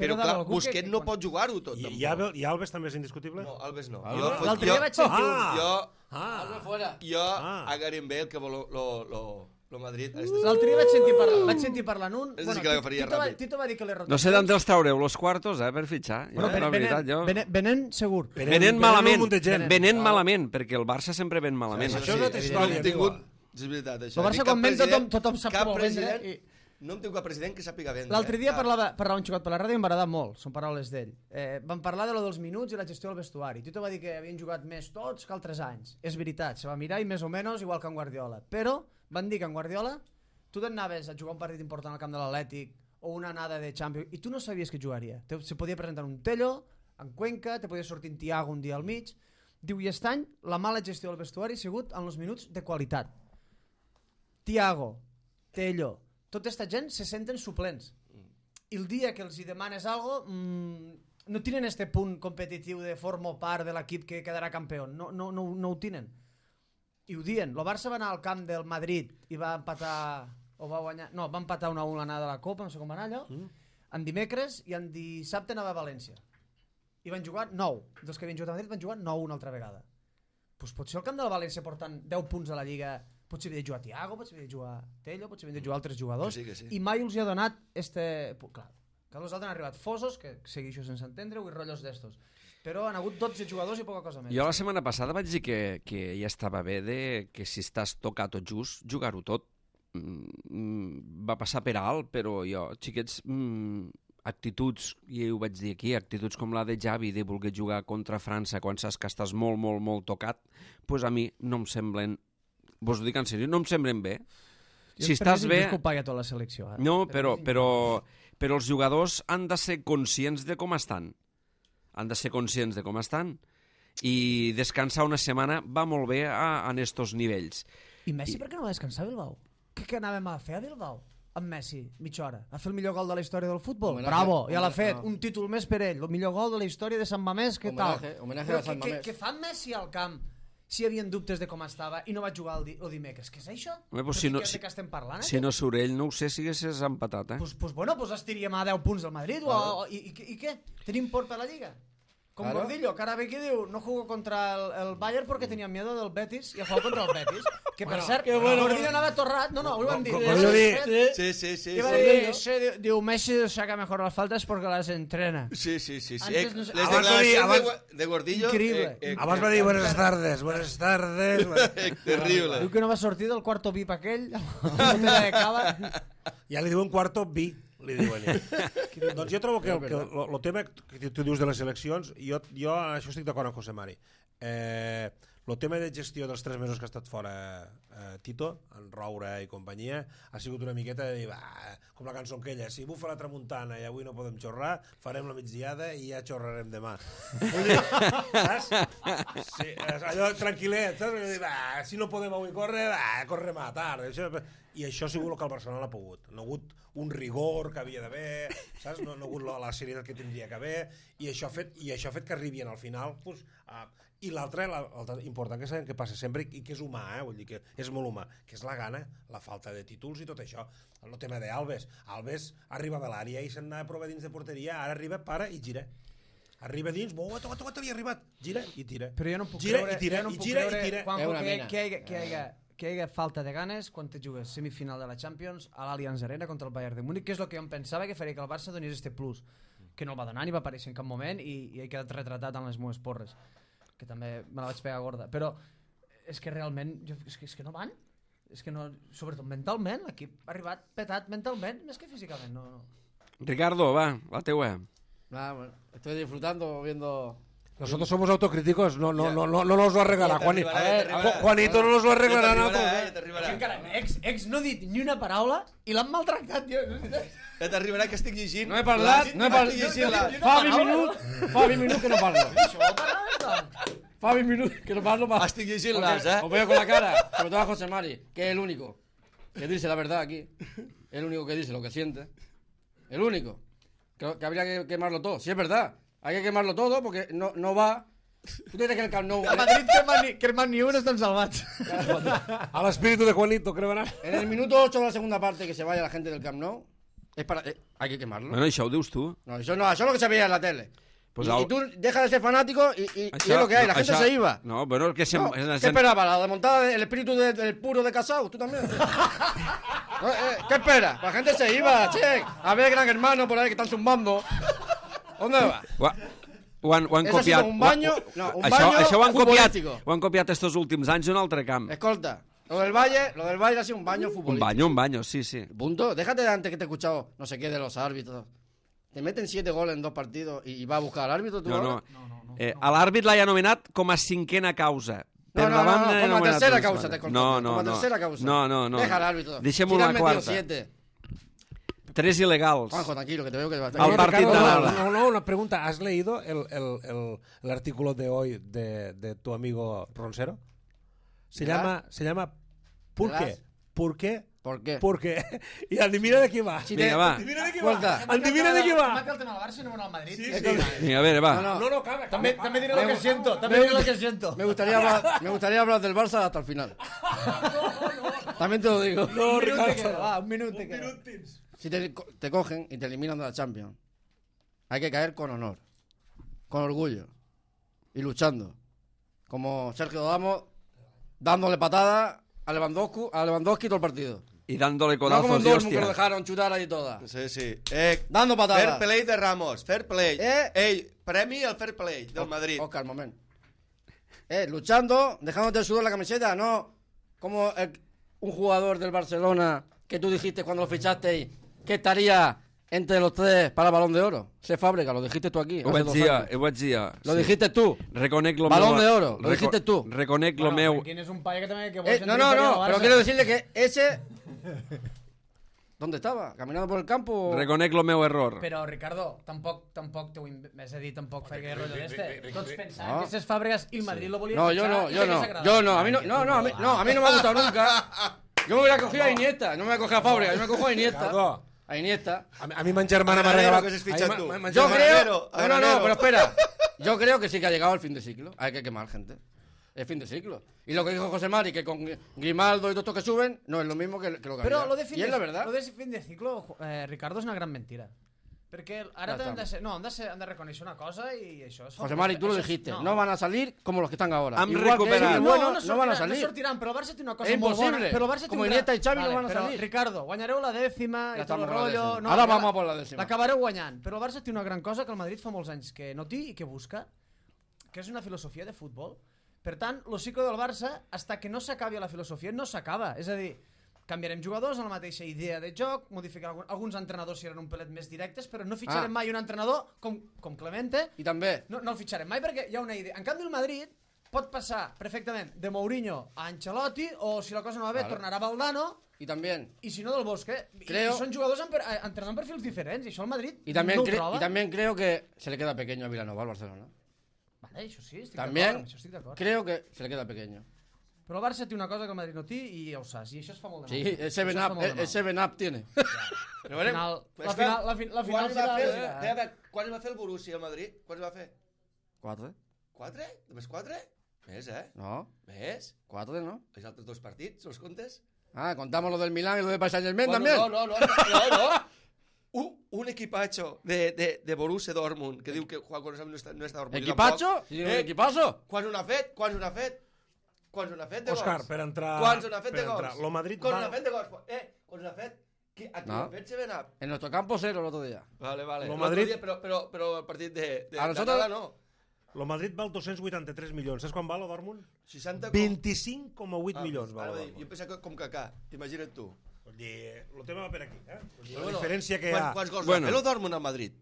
Però Però, de clar, algú que- Busquets que no quan- pot jugar-ho tot, I, tampoc. i, Alves, I Alves també és indiscutible? No, Alves no. Alves? Jo, fot- L'altre jo, dia vaig sentir... Ah! jo, Ah, Alves fuera. jo Ah. a Gareth Bale, que vol lo, lo, lo, lo Madrid... Uh! L'altre dia vaig sentir parlar, vaig sentir parlant un... És a dir, que l'agafaria Tito, va, ràpid. Tito va dir que les No rotacions... sé d'on els traureu los quartos, eh, per fitxar. Jo, Bueno, la venen, veritat, jo... venen, venen segur. Venen- Venen venen malament, un munt de gent. venen malament, perquè el Barça sempre ven malament. Això és una altra sí, història, no hem tingut... tio. És veritat, això. El Barça Dic, quan cap ven tothom, president- tothom sap cap com ho vendre. president- I... No hem tingut cap president que sàpiga vendre. L'altre eh? dia Cap. parlava, parlava un xicot per la ràdio i em va agradar molt, són paraules d'ell. Eh, van parlar de lo dels minuts i la gestió del vestuari. Tito va dir que havien jugat més tots que altres anys. És veritat, se va mirar i més o menys igual que en Guardiola. Però van dir que en Guardiola tu t'anaves a jugar un partit important al camp de l'Atlètic o una anada de Champions i tu no sabies que jugaria. Te, se podia presentar un Tello, en Cuenca, te podia sortir en Thiago un dia al mig. Diu, i aquest any la mala gestió del vestuari ha sigut en els minuts de qualitat. Thiago, Tello, tota aquesta gent se senten suplents. I el dia que els hi demanes algo, mmm, no tenen este punt competitiu de formo part de l'equip que quedarà campió. No, no, no, no ho tenen. I ho dien. El Barça va anar al camp del Madrid i va empatar... O va guanyar... No, va empatar una a una l'anada de la Copa, no sé com va anar allò. Mm. En dimecres i en dissabte anava a València. I van jugar nou. Dels que havien jugat a Madrid van jugar nou una altra vegada. Pues potser el camp de la València portant deu punts a la Lliga... Potser havia de jugar Thiago, potser havia de jugar Tello, potser havia de jugar altres jugadors. Que sí, que sí. I mai els hi ha donat este... Clar, que els altres han arribat fosos, que segueixo sense entendre-ho, i rotllos d'estos. Però han hagut dotze jugadors i poca cosa més. Jo la setmana passada vaig dir que, que ja estava bé de que si estàs tocat tot just, jugar-ho tot. Mm, va passar per alt, però jo, xiquets, mm, actituds, i ho vaig dir aquí, actituds com la de Xavi de voler jugar contra França quan saps que estàs molt, molt, molt tocat, pues a mi no em semblen, vos ho dic en sèrio, no em semblen bé. Si estàs bé... Que ho pagui a tota la selecció. Eh? No, però, però, però els jugadors han de ser conscients de com estan. Han de ser conscients de com estan. I descansar una setmana va molt bé a, a estos nivells. I Messi per què no va descansar a Bilbao? Què, què anàvem a fer a Bilbao? Amb Messi, mitja hora. A fer el millor gol de la història del futbol? Homenaje, Bravo, ja l'ha homenaje, fet. no. Un títol més per ell. El millor gol de la història de Sant Mamés, què tal? Homenaje, homenaje Però a Sant què, Mamés. què, què fa Messi al camp si hi havia dubtes de com estava i no va jugar el, di el dimecres? Què és això? Home, pues Però si no- què, si- de què estem parlant? Si no surt ell, no ho sé si haguessis empatat, eh? Pues, pues bueno, pues estiríem a deu punts del Madrid. O, o, i, i, I què? Tenim por per la Lliga? Com Claro. Gordillo, que ara ve aquí diu no jugo contra el, el Bayern porque tenía miedo del Betis y ha jugado contra el Betis. Que per cert, bueno. Gordillo anava torrat. No, no, ho van dir. Com- com jo dic. Sí, sí, sí. I va sí. dir, sí, diu, diu, Messi saca mejor las faltas porque las entrena. Sí, sí, sí. sí. Antes Eh, no sé- les abans va dir- declaracions de, abans- Gua- de Gordillo... Increïble. Eh, eh, Abans va dir buenas tardes, buenas tardes... eh, terrible. Diu que no va sortir del quarto VIP aquell, amb la botella de cava. Ja li diuen quarto vi, li diuen. Doncs jo trobo que el, que el, el tema que tu dius de les eleccions, jo, jo en això estic d'acord amb José Mari. Eh, el tema de gestió dels tres mesos que ha estat fora eh, Tito, en Roure i companyia, ha sigut una miqueta de dir, va, com la cançó aquella, si bufa la tramuntana i avui no podem xorrar, farem la migdiada i ja xorrarem demà. Vull dir, saps? Sí, allò tranquil·let, saps? Vull dir, va, si no podem avui córrer, va, correm a tard. Això, i això ha sigut el que el Barcelona ha pogut. No ha hagut un rigor que havia d'haver, saps? No, no ha hagut la, la serietat que tindria que haver, i això ha fet, i això ha fet que arribin al final, pues, a, i l'altre, l'altre important que sabem que passa sempre i que és humà, eh? Vull dir que és molt humà, que és la gana, la falta de títols i tot això. El tema d'Alves, Alves arriba a l'àrea i se'n anava a provar dins de porteria, ara arriba, para i gira. Arriba dins, oh, toca, toca, havia arribat, gira i tira. Però jo no puc gira creure, i tira, jo no i puc gira creure i tira. Juanjo, És una que, mena. que, hi hagi- que, hi hagi- que hi ha falta de ganes quan te jugues semifinal de la Champions a l'Allianz Arena contra el Bayern de Múnich, que és el que jo em pensava que faria que el Barça donés este plus, que no el va donar ni va aparèixer en cap moment i, i he quedat retratat en les meves porres, que també me la vaig pegar gorda. Però és que realment, jo, és, que, és que no van, és que no, sobretot mentalment, l'equip ha arribat petat mentalment, més que físicament. No, no. Ricardo, va, la teua. Nah, bueno, estoy disfrutando viendo... Nosotros somos autocríticos, no, no, Ya. no, no, no nos lo arreglará. Ya te Juanito, arribará, ya te arribará. Juanito no nos lo arreglará Ja a t'arribarà, nosotros. eh, eh. ja t'arribarà. Que encara, ex, ex no ha dit ni una paraula i l'han maltractat, tio. Ja t'arribarà que estic llegint. No he parlat, no he parlat. Estic llegint la... Fa vint minuts, fa vint minuts que no parlo. Això ho parlaves, doncs? Fa vint minuts que no parlo. Pa... Estic llegint les, eh? Os veo con la cara, sobre todo a José Mari, que es el único que dice la verdad aquí. El único que dice lo que siente. El único. Que, que habría que quemarlo todo. Si es verdad, hay que quemarlo todo porque no, no va. ¿Tú crees que el Camp Nou... A Madrid que man ni, que man ni un estan salvats. Al espíritu de Juanito, creo que En el minuto ocho de la segunda parte que se vaya la gente del Camp Nou, es para... eh, hay que quemarlo. Bueno, això ho dius tu. No, eso no, eso es lo que se veía en la tele. Pues y, al- y tú dejas de ser fanático y, y- y Això- es lo que hay, la no, gente això- se iba. No, bueno, que se... No, ¿Qué esperaba? ¿La desmontada del espíritu de- del puro de Casado? ¿Tú también? No, eh, ¿Qué espera? La gente se iba, che. A ver, gran hermano por ahí que están zumbando. ¿Dónde va? Ho, ha- ho han, ho han Eso ha copiat. sido un baño- ho- ho- no, un això, baño això ho han copiat, futbolístico. ho han copiat estos últims anys en un altre camp. Escolta, lo del Valle, lo del Valle ha sido un baño Un futbolístico. baño, un baño, sí, sí. Punto. Déjate de antes que te he escuchado no sé qué de los árbitros. Te meten siete goles en dos partidos y, y va a buscar al árbitro. ¿tú No, ahora? no. Eh, a l'àrbit l'ha anomenat com a cinquena causa. Per No, no, davant no, no, l'ha como a anomenat tercera dos causa te vegades. conto. No, no, como a no. tercera causa. No, no, no. Deja al árbitro. Deixem-ho Si le a han la metido quarta. siete. Tres il·legals. Juanjo, tranquilo, que te veo que te va a Al partit Ricardo, de no, l'Ala. no, no, una pregunta. ¿Has leído el, el, el, el artículo de hoy de, de tu amigo Ronsero? Se ¿Verás? llama, se llama ¿Por qué? ¿Verás? ¿Por qué? ¿Por qué? ¿Por qué? Y adivina de qué va. Si Vinga, te- va. Adivina de qué Escolta. va. Adivina de qué va. Mata el tema del Barça i no al Madrid. Sí, Sí, sí. Vinga, a veure, va. No, no. No, no, cabe, També, cabe, també diré cabe. lo que siento. També Me- diré lo que siento. Me gustaría, hablar, me gustaría hablar del Barça hasta el final. También te lo digo. No, Un minut te Ricardo. queda, va, un minut te queda. Si te, co- te cogen y te eliminan de la Champions, hay que caer con honor, con orgullo y luchando. Como Sergio Damos, dándole patada a Lewandowski, a Lewandowski todo el partido. I dándole No como codazos en i Dortmund que lo hòstia. dejaron chutar ahí toda. Sí, sí. Eh, Dando fair patadas. play de Ramos, fair play. Eh. Ey, premi al fair play del Madrid. Oscar, moment. Eh, luchando, dejándote el sudor en la camiseta, no como el- un jugador del Barcelona que tú dijiste cuando lo fichaste que estaría entre los tres para el Balón de Oro. Se Fábrega, lo dijiste tú aquí. Ho hace vaig dos dir, años. ho vaig dir. Lo sí. dijiste tú. Reconec lo Balón meu... de oro, lo dijiste tú. Reconec lo Bueno, meu... Quin és un paio que també... Que vol Eh, sentir no, no, inferior no, al pero Barça. quiero decirle que ese... ¿Dónde estaba? ¿Caminando por el campo? Reconec lo meu error. Però, Ricardo, tampoc, tampoc t'ho inv- és a dir, tampoc feia rotllo d'este. Tots pensaven No. que ses Fàbregas i el Madrid lo volia No, yo fitxar no, i yo que no, hagués agradat. yo no, a mí no, no, no, a mí, no, a mí no me ha gustado nunca. Yo me hubiera cogido a Iniesta, no me voy a coger a Fábrega, yo me cojo a Iniesta. Ricardo, A Iniesta. a mi, a mi ma germana m'ha Agranero, regalat... que has a mi fitxat ma- tu. ma- ma Yo germana- creo... Agranero, No, no, no, Agranero. pero espera. Yo creo que sí que ha llegado el fin de ciclo. Hay que quemar gente. Es fin de ciclo. Y lo que dijo José Mari, que con Grimaldo y todos estos que suben, no es lo mismo que, que lo que Però había. lo de fin Y de, es la verdad. lo de fin de ciclo, eh, Ricardo, és una gran mentira. Perquè ara Ja hem de, està. ser, no, hem de, ser, hem de reconèixer una cosa i això és... José Mari, tú lo això és- dijiste. No. van a salir como los que están ahora. Han Igual que recuperat. ellos, No, bueno, no, no, van a sortiran, salir. No sortiran, però el Barça té una cosa És molt bona. impossible. Però el Barça té Com un Iniesta gran- i Xavi no van a però, salir. Ricardo, guanyareu la dècima Ja i tot el estamos con la rotllo... dècima. No, Ara ja vamos a por la dècima. L'acabareu guanyant. Però el Barça té una gran cosa que el Madrid fa molts anys que no té i que busca, que és una filosofia de futbol. Per tant, el cicle del Barça, hasta que no s'acabi la filosofia, no s'acaba. És a dir, canviarem jugadors amb la mateixa idea de joc, modificar algun, alguns entrenadors seran un pelet més directes, però no fitxarem Ah. mai un entrenador com, com Clemente. Y también. No, no el fitxarem mai perquè hi ha una idea. En canvi, el Madrid pot passar perfectament de Mourinho a Ancelotti, o si la cosa no va bé, Vale. tornarà a Valdano, Y también. i si no del Bosque. I, Creo- i són jugadors amb, per- eh, entrenant perfils diferents, i això el Madrid Y también, no ho cre- troba. y también creo que se le queda pequeño a Vilanova al Barcelona. Vale, això sí, estic También d'acord, amb això estic d'acord. creo que se le queda pequeño. Però el Barça té una cosa que el Madrid no té i ja ho saps, i això es fa molt de Sí, mal. el Això seven es fa Up, molt de el, mal. el seven Up tiene. Però Al final, la Espera, final, la, fi- la final Quan va serà... fer, serà- espera, espera, quan va fer el Borussia al Madrid? Quan va fer? Quatre. Quatre? Només quatre? Més, eh? No, Més? cuatro, ¿no? Els altres dos partits, els comptes? Ah, contamos lo del Milán y lo de Paris Saint-Germain Bueno, también. No, no, no, no, no. Un, un equipacho de, de, de Borussia Dortmund que diu que Juan Carlos no està, no està orgullós ¿Equipacho? tampoc. Sí, un equipazo. Quan ho n'ha fet? Quan ho n'ha fet? Quants n'ha fet de gols? Òscar, per entrar... Quants n'ha fet per de gols? entrar. Lo Madrid Quants va- n'ha fet de gols? Eh, quants n'ha fet? Qui, a qui No. ha fet seven up? En nuestro campo cero el otro día. Vale, vale. Lo L'altre Madrid- dia, però, però, però el partit de, de A nosotros- d'anada no. Lo Madrid val dos-cents vuitanta-tres milions. Saps quan val, el Dortmund? seixanta... vint-i-cinc coma vuit Ah, milions val ara el va dir, Dortmund. jo pensava que com Kaká, imagina't tu. Vull dir, el tema va per aquí, eh? Vull dir, Però la bueno, diferència que hi quan- ha... Quants gols Bueno. va fer el Dortmund al Madrid?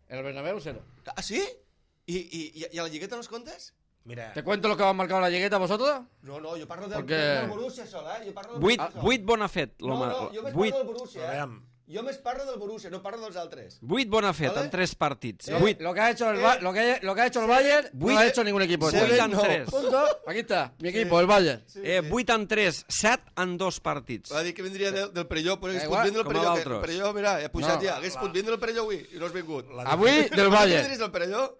El Bernabéu cero. Ah, sí? I, i, i, i a la lligueta no els comptes? Mira, ¿Te cuento lo que han marcado la llegueta vosotros? No, no, jo parlo del, Perquè- del Borussia sol, eh? Jo parlo del Vuit, Borussia sol. vuit bon ha fet, No, l'home. no, jo més Vuit, parlo del Borussia, eh? Aviam. Jo més parlo del Borussia, no parlo dels altres. vuit bon ha fet Vale. en tres partits. Eh, Vuit. Lo que ha hecho el, Eh. Ba- lo que, lo que ha hecho el Bayern no Vuit- ha hecho ningún equipo. Seven, Vuit en no. tres. Punto. Aquí está, mi equipo, el Bayern. Sí, Eh, sí. vuit en tres, set en dos partits. Va dir que vindria del, del Perelló, però hagués Da pogut igual, vindre el com a Perelló. que El l'altres. Perelló, mira, he pujat No, ja. Hagués la- pogut vindre el Perelló avui i no has vingut. La Avui del Bayern. Vindries del Perelló?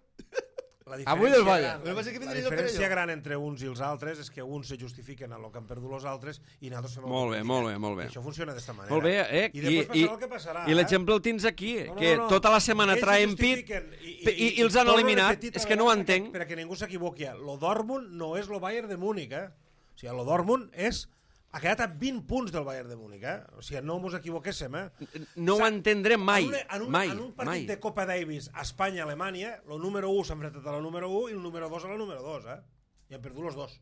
La Avui del diferència Bayern. gran- Però va ser que La vindries del diferència Perelló. gran entre uns i els altres és que uns se justifiquen en el que han perdut els altres i nosaltres fem el Molt que bé, hem molt dit. bé, molt bé. I això funciona d'esta manera. Molt bé, eh? I després passarà el que passarà. i eh? l'exemple el tens aquí, No, no, que no, no. tota la setmana Ells traen se pit justifiquen i, i, i els han torno a eliminat. repetir És otra que no ho vegada entenc. Per a que ningú s'equivoqui. Lo Dortmund no és lo Bayern de Múnich, eh? O sigui, lo Dortmund és... Ha quedat a vint punts del Bayern de Múnich, eh? O sigui, no mos equivoquéssim, eh? No ho Sa- entendrem mai, en un, en un, mai, en un partit mai. de Copa Davis a Espanya-Alemanya, el número u s'ha enfrentat a la número u i el número dos a la número dos, eh? I han perdut els dos.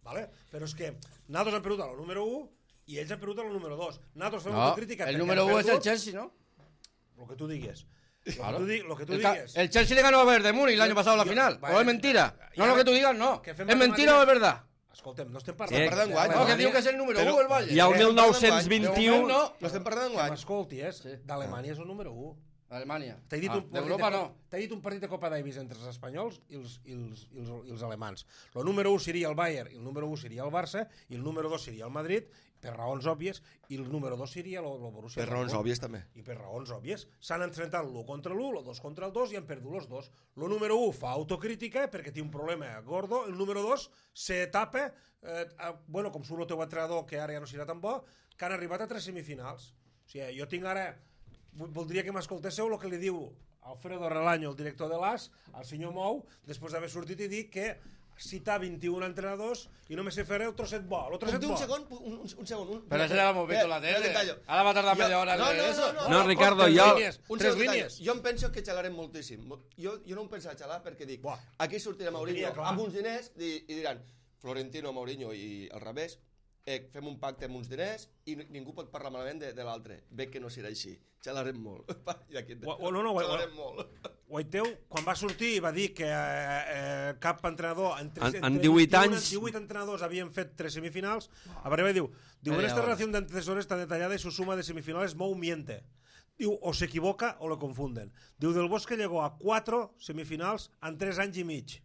¿Vale? Però és que nosaltres han perdut a la número u i ells han perdut a la número dos. Nosaltres fem No, autocrítica. el perquè número han uno es el perdut Chelsea, ¿no? Lo que tú digues. Lo Claro. que tú, di- lo que tú El, ca- digues. el Chelsea le ganó a Bayern de Múnich el año pasado en la Yo- final. vale, ¿O es mentira? y No ahora- lo que tú digas, no. que ¿Es fem mentira matemàtiques. o es verdad? Escoltem, no estem Eh, parlant... parlant d'enguany, No, que diu que és el número Però- uno el Bayern. I el Eh, mil nou-cents De moment vint-i-u... no. No estem parlant Que d'enguany. m'escolti, és... Sí. D'Alemanya és el número u. Alemania. T'he dit, Ah, un partit d'Europa de, no. t'he dit un partit de Copa Davis entre els espanyols i els, i els, i els, i els alemans. El número u seria el Bayern, i el número u seria el Barça, i el número dos seria el Madrid, per raons òbvies, i el número dos seria el, el Borussia. Per raons Dortmund. òbvies, també. I per raons òbvies. S'han enfrontat l'u contra l'u, el dos contra el dos, i han perdut els dos. El número u fa autocrítica perquè té un problema gordo, el número dos se tapa, eh, a, bueno, com surt el teu entrenador, que ara ja no serà tan bo, que han arribat a tres semifinals. O sigui, jo tinc ara... Voldria que m'escoltéssiu el que li diu Alfredo Relaño, el director de l'A S, al senyor Mou, després d'haver sortit i dit que cita vint-i-un entrenadors i només se faré el trosset bo. El trosset Un, bo. un segon, un, un, un segon. Un, Pero ese ya lo hemos visto en la Espera, tele. que tallo. Ahora va a tardar Jo- media hora en no, leer no, eso. no, No, Ricardo, tres jo... línies, Un tres segon, línies. Jo em penso que xalarem moltíssim. Jo, jo no em penso xalar perquè dic, Buah. aquí sortirà Mourinho tenia clar. amb uns diners i, i diran Florentino, Mourinho i al revés, eh, fem un pacte amb uns diners i ni- ningú pot parlar malament de, de l'altre. Veig que no serà així. Xalarem molt. I aquí, Ua- ua- no, no, ua- xalarem molt. Guaiteu, quan va sortir, va dir que eh, eh, cap entrenador... Entre, En- en entre divuit vint-i-un anys- divuit entrenadors havien fet tres semifinals. A veure, diu, diu, en Media esta hora. relación de antecesores tan detallada y su suma de semifinales, Mou miente. Diu, o se equivoca o lo confunden. Diu, Del Bosque llegó a cuatro semifinals en tres anys i mig.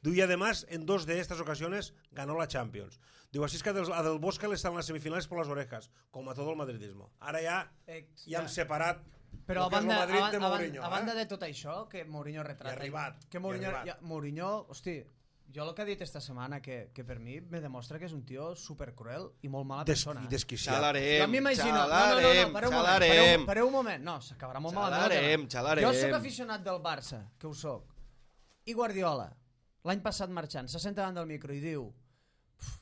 Diu, y además, en dos de estas ocasiones ganó la Champions. Diu, así es que a Del, a Del Bosque le están las semifinales por las orejas, como a todo el madridismo. Ara ja, Eh, ja hem separat Però a el que és el banda, Madrid a, de a, Mourinho. a banda eh? de tot això, que Mourinho retrata... I ha arribat, Que i ha Mourinho, arribat. ja, Mourinho, hosti, jo el que ha dit esta setmana, que, que per mi me demostra que és un tio supercruel i molt mala Des, persona. i eh? desquiciat. Jo Xalarem, m'imagino... No, no, no, no, xalarem, pareu un moment, xalarem. pareu, pareu un moment. No, s'acabarà molt malament. el Xalarem, tema. xalarem. Jo sóc aficionat del Barça, que ho sóc. I Guardiola, l'any passat marxant, se senta davant del micro i diu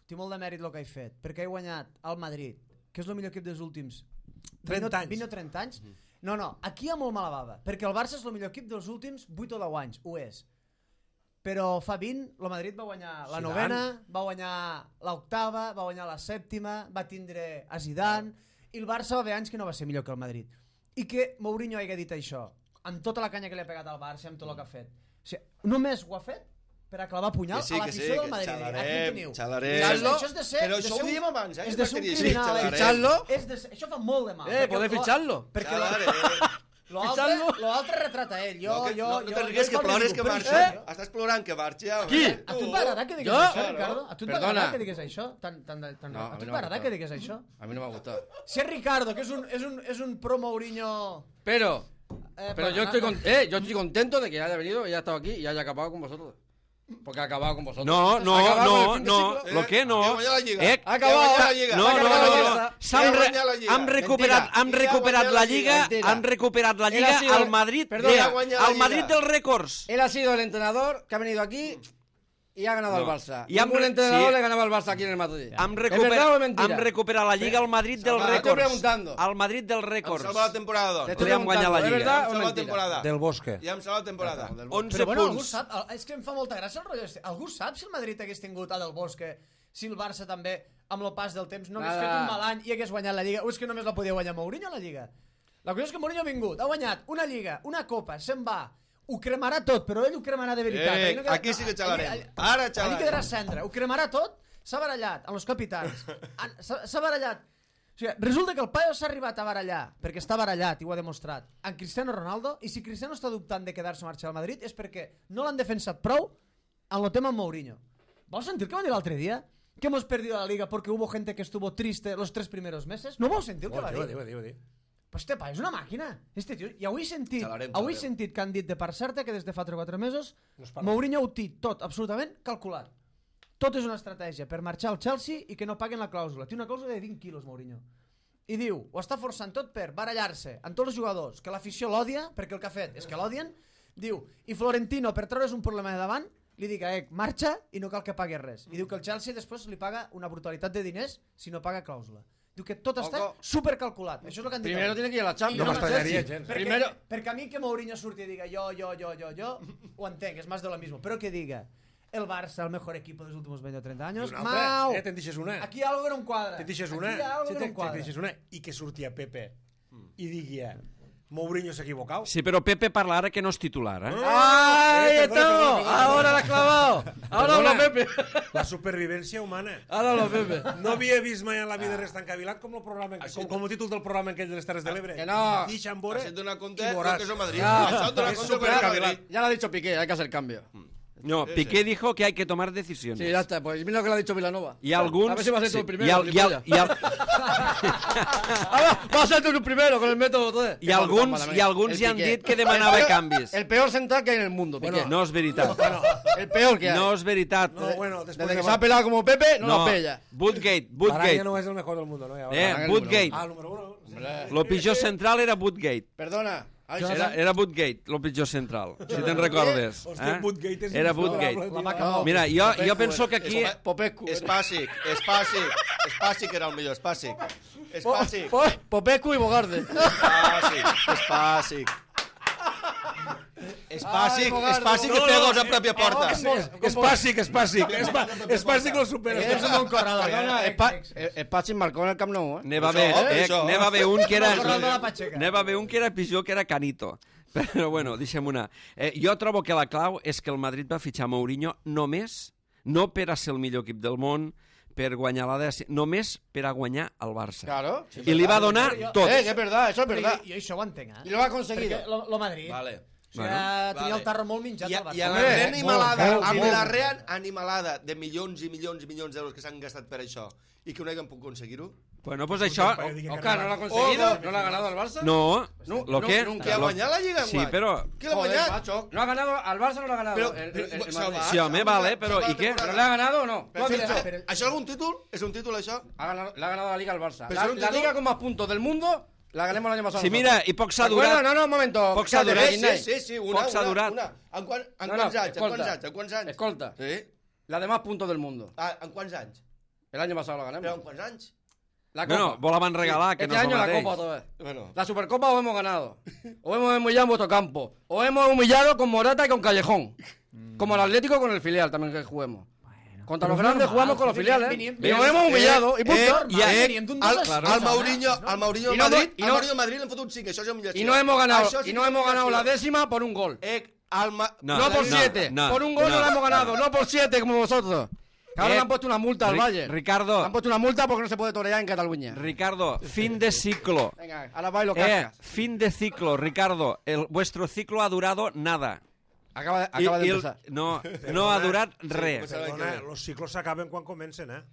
té molt de mèrit el que he fet, perquè he guanyat al Madrid, que és el millor equip dels últims trenta anys. vint o trenta anys. No, no, aquí hi ha molt mala bava, perquè el Barça és el millor equip dels últims vuit o deu anys, ho és. Però fa vint, el Madrid va guanyar la Zidane. novena, va guanyar l'octava, va guanyar la sèptima, va tindre a Zidane, i el Barça va haver anys que no va ser millor que el Madrid. I que Mourinho hagi dit això, amb tota la canya que li ha pegat al Barça, amb tot el que ha fet. O sigui, només ho ha fet per a clavar punyal Que sí, a que l'afició sí, del que Madrid. xalarem, Aquí ho teniu. xalarem. Això, és- això és de ser... Però de això ser ho un- diem abans, eh, És que de ser un m'has dit, criminal. xalarem. eh? Ficharlo. És de ser, això fa molt de mal. Eh, perquè poder lo- ficharlo. Perquè Xalarem. l'altre Ficharlo. l'altre retrata ell. Jo, No, que, jo, no, no jo, te'n rigues jo que fa el plores que ridícul, marxa. però això- Estàs plorant que marxa. home. Qui? A tu et va agradar que digues Jo? això, Ricardo? A tu et va Perdona. agradar que digues això? Tan, tan, tan, No, a a mi tu et no va m'ha agradar gustat. que digues això? A mí no me ha gustado. Si és Ricardo, que és un, és un, és un pro Mourinho... Pero, Eh, pero yo para- estoy, con- eh, yo estoy contento de que haya venido, haya estado aquí y haya acabado con vosotros. Porque ha acabado con vosotros. No, Ha no, acabado con el no, fin de no, ciclo. lo que no. Que guanya la Lliga. Eh, Ha acabado. Que guanya la Lliga. no, Ha no, acabado no, la no. Barça. S'han Que re- guanya la Lliga. han recuperat, Mentira. han Que recuperat guanya la la Lliga, Lliga. Mentira. han recuperat la Él Lliga ha sido- al Madrid, Perdona, de- ha guanyat la al Madrid Lliga. dels rècords. Él ha sido el entrenador que ha venido aquí y ha ganado No. el Barça. Y han Ningún re- entrenador sí. le ganaba al Barça aquí en el Madrid. Hem, ¿Es recuper... verdad o es mentira? hem recuperat la Lliga al Madrid del Salva, te estoy rècords. preguntando. Al Madrid del Hem rècords. salvat la temporada, Te doncs. estoy Li hem guanyat la preguntando, ¿es Lliga. verdad Hem o es salvat la mentira? temporada. Del Bosque. Ja hem salvat la temporada. onze Però bueno, algú punts. sap, el- és que em fa molta gràcia el rotllo este. Algú sap si el Madrid hagués tingut a Del Bosque, si el Barça també, amb el pas del temps, no hagués Nada. fet un mal any i hagués guanyat la Lliga, o és que només la podia guanyar Mourinho, la Lliga? La qüestió és que Mourinho ha vingut, ha guanyat una Lliga, una Copa, se'n va, ho cremarà tot, però ell ho cremarà de veritat. Eh, Ahí no queda- aquí sí que xalarem. allí- allí- Ara Allí xalarem. quedarà cendra, ho cremarà tot, s'ha barallat amb els capitans, han- s'ha s'ha barallat. O sigui, resulta que el paio s'ha arribat a barallar, perquè està barallat i ho ha demostrat, amb Cristiano Ronaldo, i si Cristiano està dubtant de quedar-se a marxar al Madrid és perquè no l'han defensat prou en el tema amb Mourinho. ¿Vos sentir que va dir l'altre dia? Que hemos perdido la Liga porque hubo gente que estuvo triste los tres primeros meses. ¿No vos sentir el que va Diu, dir? diu, diu, diu. Pues este pa és una màquina. Este tio, i avui he sentit, Xalarem, avui he xalarem. sentit que han dit de part certa que des de fa tres o quatre mesos No es parla. Mourinho ho té tot absolutament calculat. Tot és una estratègia per marxar al Chelsea i que no paguen la clàusula. Té una clàusula de vint quilos, Mourinho. I diu, ho està forçant tot per barallar-se amb tots els jugadors, que l'afició l'odia, perquè el que ha fet és que l'odien. Diu, i Florentino, per treure's un problema de davant, li dic a Ec, marxa i no cal que pagui res. I diu que el Chelsea després li paga una brutalitat de diners si no paga clàusula. Diu que tot està Ojo. supercalculat. Això és el que han dit. Primero avui. tiene que ir a la I Champions. No el m'estranyaria Chelsea, gens. Perquè, Primero- perquè a mi que Mourinho surti i diga jo, jo, jo, jo, jo, ho entenc, és més de lo mismo. Però que diga el Barça, el mejor equipo dels últimos veinte o treinta I años, una mau! altra, eh, te'n deixes una. Aquí algo que no em quadra. Te'n deixes Aquí una. hi ha algo Sí, que no te'n em quadra. te'n deixes una. I que surti a Pepe i digui Mourinho s'ha equivocat. Sí, però Pepe parla ara que no és titular, eh? ¡Ahí Eh, perdona, estamos! perdona, perdona. Ahora la ha clavado. Ahora Perdona. habla Pepe. La supervivència humana. Ahora habla Pepe. No havia vist mai en la vida res tan cavilat com el programa, com, com el títol del programa aquell de les Terres de l'Ebre. Que no. Deixa'm veure Has donat compte i del veuràs. que és el Madrid. Ah, Això et dona és compte del que és el supercavilat. Madrid. Ya lo ha dicho Piqué, hay que hacer cambio. No, Piqué dijo que hay que tomar decisiones. Sí, ya está. Pues mira lo que le ha dicho Vilanova. Y alguns... A ver si va a ser tú sí, el primero. I, al, i, al, i, al, Ah, va a ser tú el primero con el método todo. i alguns, i alguns ja han dit que demanava canvis. El peor central que hay en el mundo, Piqué. No és veritat. El peor que hay. No és veritat. No, bueno, después Desde de que se ha pelado como Pepe, no, No, la pella. Woodgate, Baranya Woodgate. no és el mejor del mundo, no? Ja, Eh, Baranya Woodgate. Ah, el número uno. Sí. Lo pitjor central era Woodgate. Perdona. Ahí se Era, era Woodgate, lo pitjor central, si te'n recordes. Hòstia, Eh? Woodgate és Era insuperable, Woodgate. tio. vaca- Mira, jo, jo penso que aquí... Espa- Popescu. Espàssic, Espàssic, Espàssic era el millor, Espàssic. Espàssic, Po- Popescu y Bogarde. Espàssic, Espàssic. Espàssic, Bogarde, Espàssic que no, té no, gols a pròpia porta. És bàsic, és bàsic. És ba- És bàsic lo supera. És un bon corredor. Perdona, eh? Espa- eh, Espachin marcó en el Camp Nou, eh? N'hi va Això, haver, eh? això. N'hi va haver un que era... El corredor de la Pacheca. N'hi va haver un que era pitjor, que era Canito. Però bueno, deixem una. Eh, jo trobo que la clau és que el Madrid va fitxar Mourinho només, no per a ser el millor equip del món, per guanyar la dècima, només per a guanyar el Barça. Claro. I li va donar tot. Eh, que es verdad, eso es verdad. I, i això ho entenc, eh? Y lo ha conseguido. Perquè lo, lo Madrid... Vale. O sigui, Bueno, tenia vale. el tarro molt minjat I, al a- Barça. I a la Hombre, reanimalada, molt, amb molt. la reanimalada de milions i milions i milions d'euros que s'han gastat per això i que no haguem pogut aconseguir-ho, Bueno, pues això... Oscar, ¿no lo ha conseguido? ¿No lo ha ganado al Barça? No, No, lo no, que... nunca. qui ha lo- guanyat la Lliga Sí, enguany? però... Qui l'ha Joder, guanyat? macho. No ha ganado, al Barça no lo ha ganado. Però, el, però, el, el, el se'l Madrid. va- Sí, home, se'l va- vale, se'l però va ¿i què? ¿Pero temporada. le ha ganado o no? Però, ¿Cuál això, dirá? pero- això és algun títol? És un títol, això? Ha ganado, le ha ganado la Liga al Barça. Pero La, es un la título- Liga con más puntos del mundo la ganemos el año pasado. Sí, nosotros. mira, i poc s'ha ¿De acuerdo? durat. No, no, un momento. Poc s'ha Cállate, durat. Sí, Ignai. sí, sí, una, Poc s'ha una, durat. una. En, quan, en No, no, quants anys? En escolta. quants anys? En quants anys? Escolta. Sí? La de más puntos del mundo. Ah, en quants anys? El año pasado la Però ganamos. en quants anys? La Copa. Bueno, vos la van regalar, que Este no és el año la mateix. Copa otra vez. Bueno, La Supercopa os hemos ganado. Os hemos humillado en vuestro campo. Os hemos humillado con Morata y con Callejón. Como el Atlético con el filial también que juguemos. Contra los Pero es grandes normal, jugamos con los venien- filiales. venien- Y nos hemos humillado. Y punto. eh, I a- venien d'un al, dos a al, zero. Mourinho, al Mourinho I al no- Madrid, i al no- Mourinho al Madrid l'han fotut cinc, això és humillació. Y no hemos ganado. Això sí Y que no és hemos ganado la humillació. décima por un gol. Eh, al Ma- No, No por no, siete. no, Por un gol no no. la hemos ganado. No por siete como vosotros. Que ahora Eh, le han puesto una multa al Ri- Valle. Ricardo. Le han puesto una multa porque no se puede torear en Cataluña. Ricardo, fin de ciclo. Venga, ahora va y lo Eh, cascas. fin de ciclo, Ricardo. El, vuestro ciclo ha durado nada. Acaba de, I- acaba de i el- empezar. no, no ha durat pues res. Perdona, los ciclos s'acaben quan comencen, eh?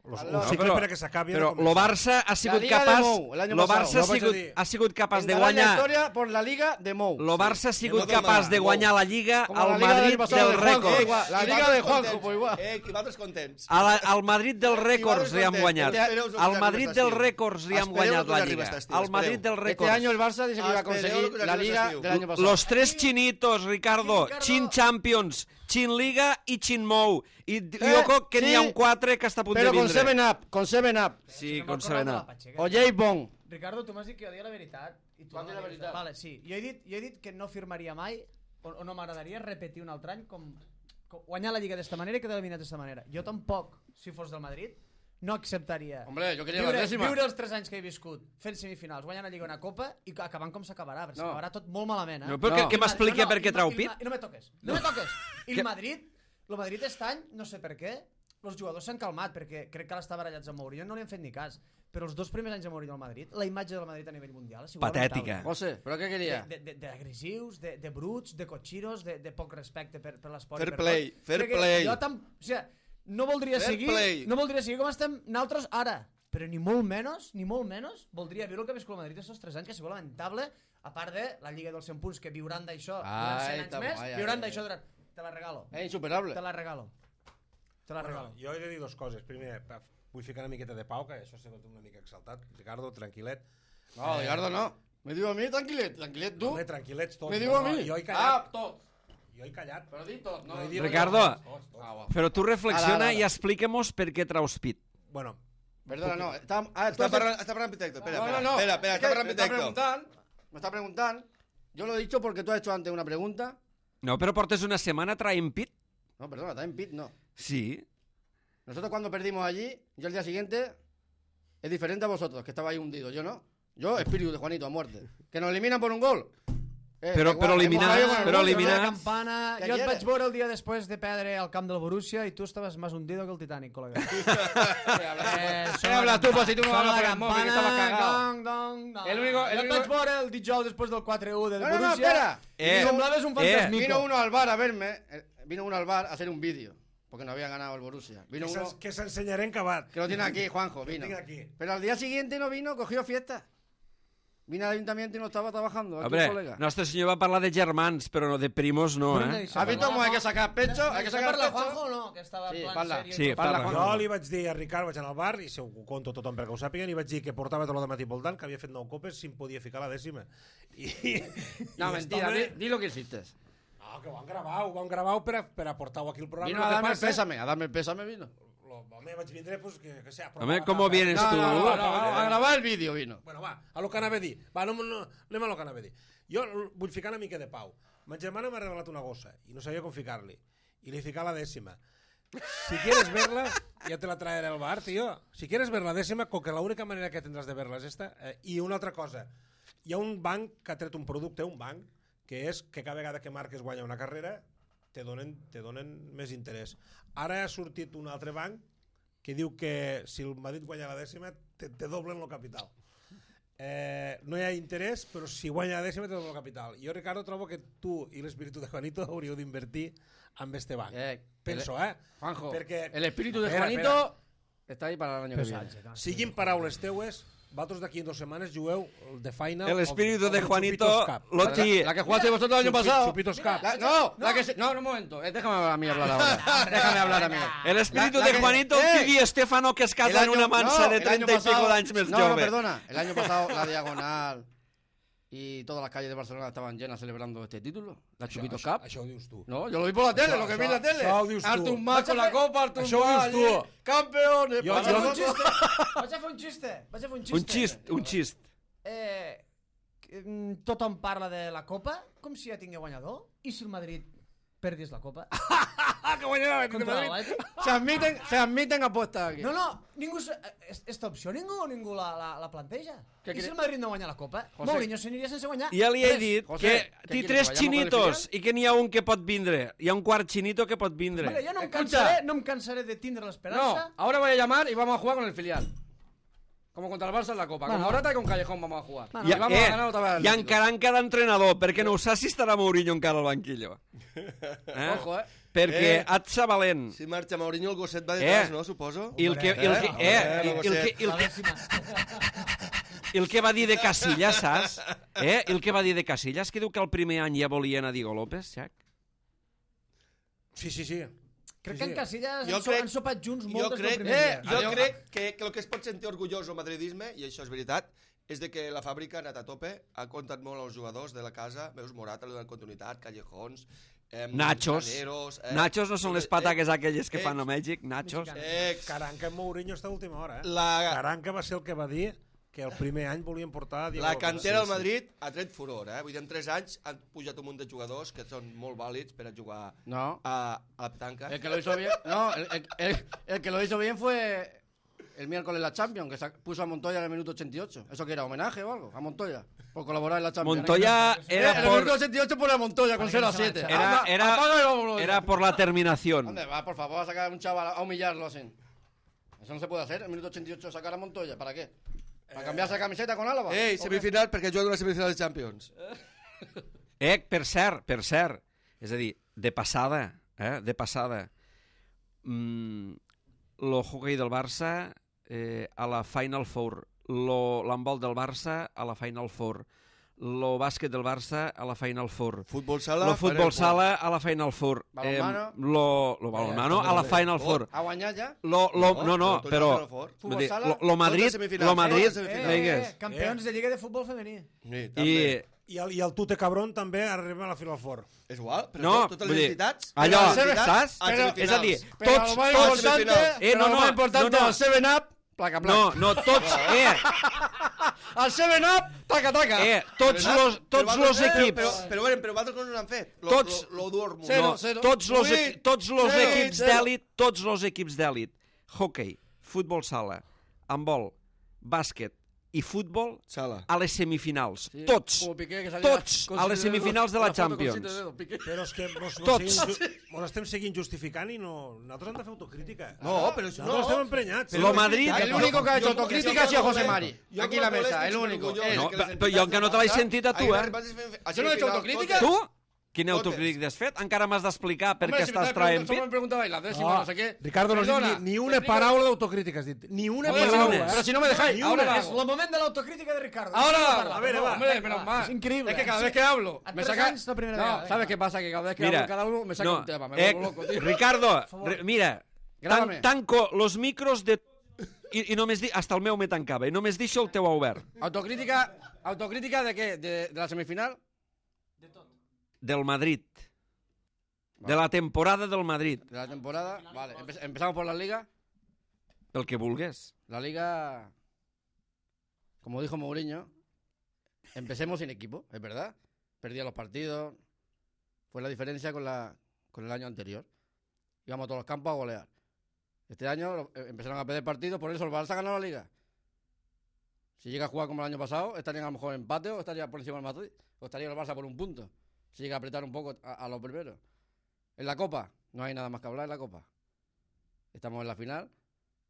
Los, No, un cicle però- per a que s'acabi Però ha de lo començar. Barça ha sigut Liga de capaç... Mou, el año Lo pasado, Barça no ha vaig a sigut, dir. ha sigut capaç de Entrará en la guanyar... historia por la Liga de Mou. Lo Barça ha sigut No del capaç Mar, de Mou. guanyar la Lliga Como al la Liga del Madrid año pasado del de Juanjo, rècord. igual. La I Liga vosaltres de Juanjo, contents. pues igual. Eh, i vosaltres contents. A la, al Madrid del rècords vosaltres li han contents. guanyat. Espereu que Al us Madrid arribi del estiu. rècords li han Espereu guanyat que us la arribi Lliga. estiu, Al Madrid espereu. del Este rècords. año el Barça dice que iba a Espereu conseguir que la arribi Liga l'estiu. del año pasado. Los tres chinitos, Ricardo. Ricardo. Chin Champions. Xinliga i Xinmou. I Eh, jo crec que sí, n'hi ha un quatre que està a punt Però de con vindre. seven up, con seven up. Sí, No con m'acordo seven de la up. Patxega. O J. Bond. Ricardo, tu m'has dit que jo deia la veritat. I tu Quan no dius la m'has dit. veritat? Vale, sí. Jo he dit, jo he dit que no firmaria mai, o, o no m'agradaria repetir un altre any com, com guanyar la Lliga d'esta manera i quedar eliminat d'esta manera. Jo tampoc, si fos del Madrid, no acceptaria Hombre, jo queria la viure, dècima. viure els tres anys que he viscut fent semifinals, guanyant la Lliga una copa i acabant com s'acabarà, perquè No. s'acabarà tot molt malament, eh? No, però No. que, que m'expliqui No, per què il- trau il- pit. I no me toques, no me toques. I Que- el Madrid, el Madrid aquest any, no sé per què, els jugadors s'han calmat, perquè crec que ara està barallats amb Mourinho, no li han fet ni cas. Però els dos primers anys de Mourinho al Madrid, la imatge del Madrid a nivell mundial ha sigut Patètica. lamentable. José, però què queria? De- de- D'agressius, de, de, de bruts, de cotxiros, de, de poc respecte per, per l'esport. i Fair per play, tot. fair Crec que play. Jo tam... O sigui, no voldria Fair seguir play. no voldria seguir com estem nosaltres ara, però ni molt menys, ni molt menys, voldria viure el que ha viscut el Madrid aquests tres anys, que ha sigut lamentable, a part de la Lliga dels cent punts, que viuran d'això durant Ai, cent anys tam- més, ai, ai, viuran ai. d'això durant... Te la regalo. És insuperable. Te la regalo. Te la Bueno, regalo. jo he de dir dues coses. Primer, pa- vull ficar una miqueta de pau, que això ha sigut una mica exaltat. Ricardo, tranquil·let. No, Ricardo no. Me diu a mi, tranquil·let, tranquil·let tu. Home, tranquil·lets tots. Me diu No, a no, mi. Jo he Ah, callat. tot. Jo he callat. Però di tot, no. No he dit Ricardo. res, tots, tots. Ah, va. Però tu reflexiona Ara, ara. i explica-mos per què traus pit. Bueno, Perdona, no. Està, ah, tu Està has- parlant, està parlant Pitecto. Espera, No, no, espera, no. espera, espera, Es està que parlant me está Pitecto. preguntando, me está preguntando. Yo lo he dicho porque tú has hecho antes una pregunta. No, però portes una setmana traient pit? No, perdona, está en pit, no. Sí. Nosotros cuando perdimos allí, yo el día siguiente, es diferente a vosotros, que estabais hundidos. Yo no. Yo, espíritu de Juanito, a muerte. Que nos eliminan por un gol. Eh, Però- da igual, però hemos eliminar- caído con el però gol, eliminar- ¿no? Campana. Què Jo et quieres? vaig veure el dia després de perdre al camp del Borussia i tu estaves més hundido que el Titanic, col·lega. ¿Qué hablas tú? Eh, ¿Qué sona hablas tú? Pues si tú no sona hablas por la el móvil, que estabas campana, cagado. dong, dong, dong. El único- el Jo et único- vaig veure el dijous després del quatre u del No, no, no, Borussia espera. Eh, i semblaves un eh, fantasmico. Vino uno al bar a verme. eh, Vino uno al bar a hacer un vídeo. Porque no había ganado el Borussia. Vino que uno s'ens- que s'ensenyaré en acabat. que lo tiene aquí, Juanjo. Vino. Tinc aquí. Pero al día siguiente no vino, cogió fiesta. Vine al ayuntamiento y no estaba trabajando. Aquí Hombre, el colega. Nostre Senyor va parlar de germans, però no de primos no, Bruna eh? i ¿Has visto cómo hay que sacar pecho? Hay que sacar parla pecho. Juanjo o no? Que estava Sí, en plan parla. serio. Sí, i tot. parla. Juanjo. Jo li vaig dir a Ricard, vaig anar al bar, i si ho conto tothom perquè ho sàpiguen, i vaig dir que portava tot el de matí voltant, que havia fet nou copes si em podia ficar la dècima. I, No, i mentira. estava- Di, di lo que hiciste. No, que ho han gravat, ho han gravat per, a- per aportar-ho aquí al programa. Vino Lo a que darme el passa- pésame. A darme el pésame vino. Lo, home, vaig vindre, pues, que, que sea... Home, ¿cómo vienes No, tú? no, no, no, a gravar el vídeo vino. Bueno, va, a lo que anava a dir. Va, no, no, anem a lo que anava a dir. Jo vull ficar una mica de pau. Ma germana m'ha regalat una gossa i no sabia com ficar-li. I li fica la dècima. Si quieres verla, ya te la traeré al bar, tío. Si quieres ver la décima, con que la única manera que tendrás de verla és esta. Eh, I una altra cosa. Hi ha un banc que ha tret un producte, un banc, que és que cada vegada que marques guanya una carrera, te donen, te donen més interès. Ara ha sortit un altre banc que diu que si el Madrid guanya la dècima, te, te doblen el capital. Eh, no hi ha interès, però si guanya la dècima te doblen el capital. Jo, Ricardo, trobo que tu i l'espíritu de Juanito hauríeu d'invertir en este banc. Eh, Penso, el- eh? Juanjo, Perquè- el espíritu de Espera, Juanito está ahí para el año que viene. Pesatge, clar. Siguin paraules teues, vosaltres d'aquí en dues setmanes jugueu el de Final. El espíritu o- o de el Juanito Chupitos Cup. lo La, ti... la que jugaste vosotros el año Chupi- pasado. Chupitos Cup. La- no, la que se, no, un momento. eh, déjame a mí hablar ahora. Déjame hablar a mí. El espíritu La- la de que- Juanito, eh, el Di Estefano, que es El casa en año- una mansa no, de el año treinta y pico pasado- d'anys més No, no, jove. perdona. El año pasado la Diagonal y todas las calles de Barcelona estaban llenas celebrando este título. La Chupitos Això, Cup. això ho dius tu. No, yo lo vi por la tele, Això- lo que vi en això- la tele. això ho dius tu. Artur Mas con la copa, Artur Això ho Mas, dius tu. allí, campeones. Jo- Para Vaig a fer un nosotros- xiste. Vaig a fer un xiste. Vaig a fer un xiste. Un xist, un xist. Eh, que, mm, tothom parla de la Copa com si ja tingués guanyador. I si el Madrid perdés la Copa? Ah, que guanyarà l'Atlètic de Contra Madrid. l'Atlètic? Se admiten, se admiten apuestas aquí. No, no, ningú... se- eh, Esta opció ningú, ningú la, la, la planteja. Què I si cre- el Madrid no guanya la Copa? José. Mourinho s'aniria sense guanyar. Ja li he res. dit José, que ¿qué té quieres, tres vayamos xinitos con el i que n'hi ha un que pot vindre. Hi ha un quart xinito que pot vindre. Vale, jo no em, Escucha. cansaré, no em cansaré de tindre No, l'esperança. ahora voy a llamar y vamos a jugar con el filial. Como contra el Barça en la Copa. Como Bueno. Morata y con Callejón vamos a jugar. Bueno. Y Ja, vamos eh, a ganar otra vez al I Atlético. encara en cada entrenador, perquè no ho saps si estarà Mourinho encara al banquillo. Eh? Ojo, eh. Perquè Eh. et sa valent. Si marxa Mourinho, el gosset va Eh. detrás, no, suposo? I el que, i el que, Eh, eh, i eh, el que, i el La que, dècima. i el que va dir de Casillas, saps? Eh? I el que va dir de Casillas, que diu que el primer any ja volia anar a Diego López, Xac? Sí, sí, sí. Crec Sí, que sí. en Casillas Jo han, so, crec- han sopat junts Jo moltes del crec, primer eh, dia. jo Adiós. crec que, que el que es pot sentir orgullós el madridisme, i això és veritat, és de que la fàbrica ha anat a tope, ha comptat molt els jugadors de la casa, veus Morata, li donat continuïtat, Callejons, Eh, Nachos. graneros, eh, Nachos no són les eh, pataques aquelles que eh, fan a Mèxic, nachos. Ex. Caranca amb Mourinho està a última hora, eh? La, Caranca va ser el que va dir que el primer any volien portar... Diego la López. cantera del Madrid ha tret furor, eh? Vull dir, en tres anys han pujat un munt de jugadors que són molt vàlids per a jugar No. a, a la petanca. El que lo hizo bien, no, el, el- el- el que lo hizo bien fue el miércoles la Champions, que sa- puso a Montoya en el minuto ochenta y ocho. ¿Eso que era? ¿Homenaje o algo? A Montoya, por colaborar en la Champions. Montoya En era el minuto por, ochenta y ocho pone a Montoya con cero a siete. era, Anda, era, apaga y vámonos. era por la terminación. ¿Dónde va, por favor, a sacar a un chaval a humillarlo así? Eso no se puede hacer, en el minuto ochenta y ocho sacar a Montoya, ¿para qué? ¿Para cambiarse la camiseta con Álava? Ei, ¿O qué? semifinal, perquè juga una semifinal de Champions. Eh, per cert, per cert, és a dir, de passada, eh, de passada, mm, lo hockey del Barça eh, a la Final Four, lo l'handbol del Barça a la Final Four, lo bàsquet del Barça a la Final Four, Futbol sala... lo futbol Final Four. sala a la Final Four, Balonmano. lo, lo balonmano a la Final Four, ¿A guanyar ya? lo, lo, no, no, tu però, anaves a la Four. vull dir, Futbol lo, lo Madrid, Tots a semifinals, lo Madrid, tots a semifinals. vingues. campions de Lliga de Futbol Femení. Sí, I, també. I el, I el Tute Cabrón també arriba a la Final Four. És igual, però no, totes vull les dir, entitats... allò, totes les entitats saps? a Però, és a dir, semifinals. Pero tots, lo más tots, importante, eh, pero no, lo no, más importante, no, no. el seven up, placa, placa. no, no, tots, eh, Al seven up, taca, taca. eh, tots Però, los, però tots vosaltres- los equips, Però, però, però, però vosaltres com no n'han fet? Lo, Tots- Lo, lo Dortmund. Zero, no, zero. tots los, Vuit, equi tots los zero, equips zero. d'èlit, tots los equips d'èlit, hockey, futbol sala, handbol, bàsquet i futbol Sala. a les semifinals, Sí, tots, como Piqué, que salía tots con a les siete dedos, semifinals de la foto con Champions. siete dedos, Piqué. Però és que mos, mos, Tots. seguim, ju- mos estem seguint justificant i no... Nosaltres hem de fer autocrítica. No, però això Nosaltres estem no. emprenyats. Lo Madrid- El único que ha hecho autocrítica ha sido José Mari. Jo Aquí en la com a mesa, molest el estic único. orgullós Él. No, de que les però jo encara no te l'he entitats sentit a tu, hagin eh? arribat a semifinals. Jo no he hecho autocrítica. Tu? Quina Totes. autocrítica has fet? Encara m'has d'explicar per Hombre, què si me estàs estáis traient preguntando- solo me pit? preguntabais la décima, no sé qué. Ricardo, no has dit Perdona, ni, ni una te explico- paraula d'autocrítica has dit. Ni una Joder, si no- paraula. Pero si no me dejáis, Ni ahora una. la És hago. el moment de l'autocrítica de Ricardo. Ahora la hago. A ver, va. Hombre, menos mal. Es increíble. Es que cada Sí. vez que hablo, A me tres saca. anys la primera No, vegada, ¿sabes venga. qué pasa? Que cada vez que Mira, hablo cada uno me saca no, un tema. Me eh, vuelvo loco, tío. Ricardo, re, mira, Grábame. tan, tanco los micros de... I, i només di... Hasta el meu me tancava, i només deixo el teu obert. Autocrítica, autocrítica de qué? De, de la semifinal. Del Madrid. De la temporada del Madrid. De la temporada. Vale, empe- empezamos por la liga. El que vulgues. La liga, como dijo Mourinho, empecemos sin equipo, es verdad. Perdía los partidos. Fue la diferencia con, la, con el año anterior. Íbamos a todos los campos a golear. Este año lo- eh, empezaron a perder partidos, por eso el Barça ganó la liga. Si llega a jugar como el año pasado, estarían a lo mejor en empate o estaría por encima del Madrid. O estaría el Barça por un punto. Si llega a apretar un poco a, a los primeros. En la Copa, no hay nada más que hablar en la Copa. Estamos en la final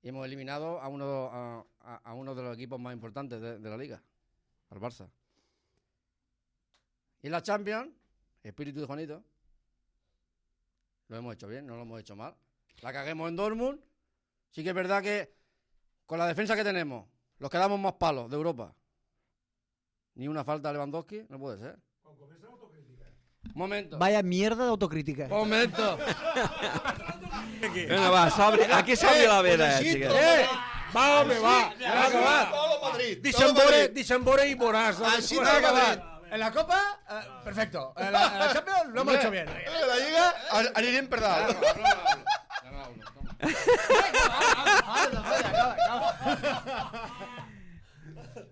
y hemos eliminado a uno, a, a- a uno de los equipos más importantes de, de la liga, al Barça. Y en la Champions, espíritu de Juanito, lo hemos hecho bien, no lo hemos hecho mal. La caguemos en Dortmund. Sí que es verdad que con la defensa que tenemos, los que damos más palos de Europa. Ni una falta a Lewandowski, no puede ser. Momento. Vaya mierda d'autocrítica. Momento. Bueno, va, s'obri, aquí s'obri la veda, eh, xiquet. ¡Eh! Va, home, va. ¡Ya ha acabat! Todo Madrid. Deixa'm veure, deixa'm veure i veuràs. Així Bueno, no va. Madrid. En la Copa, eh, perfecto. En la, en la Champions lo hemos hecho bien. La Lliga an- anirem per dalt. Ya no hablo, toma.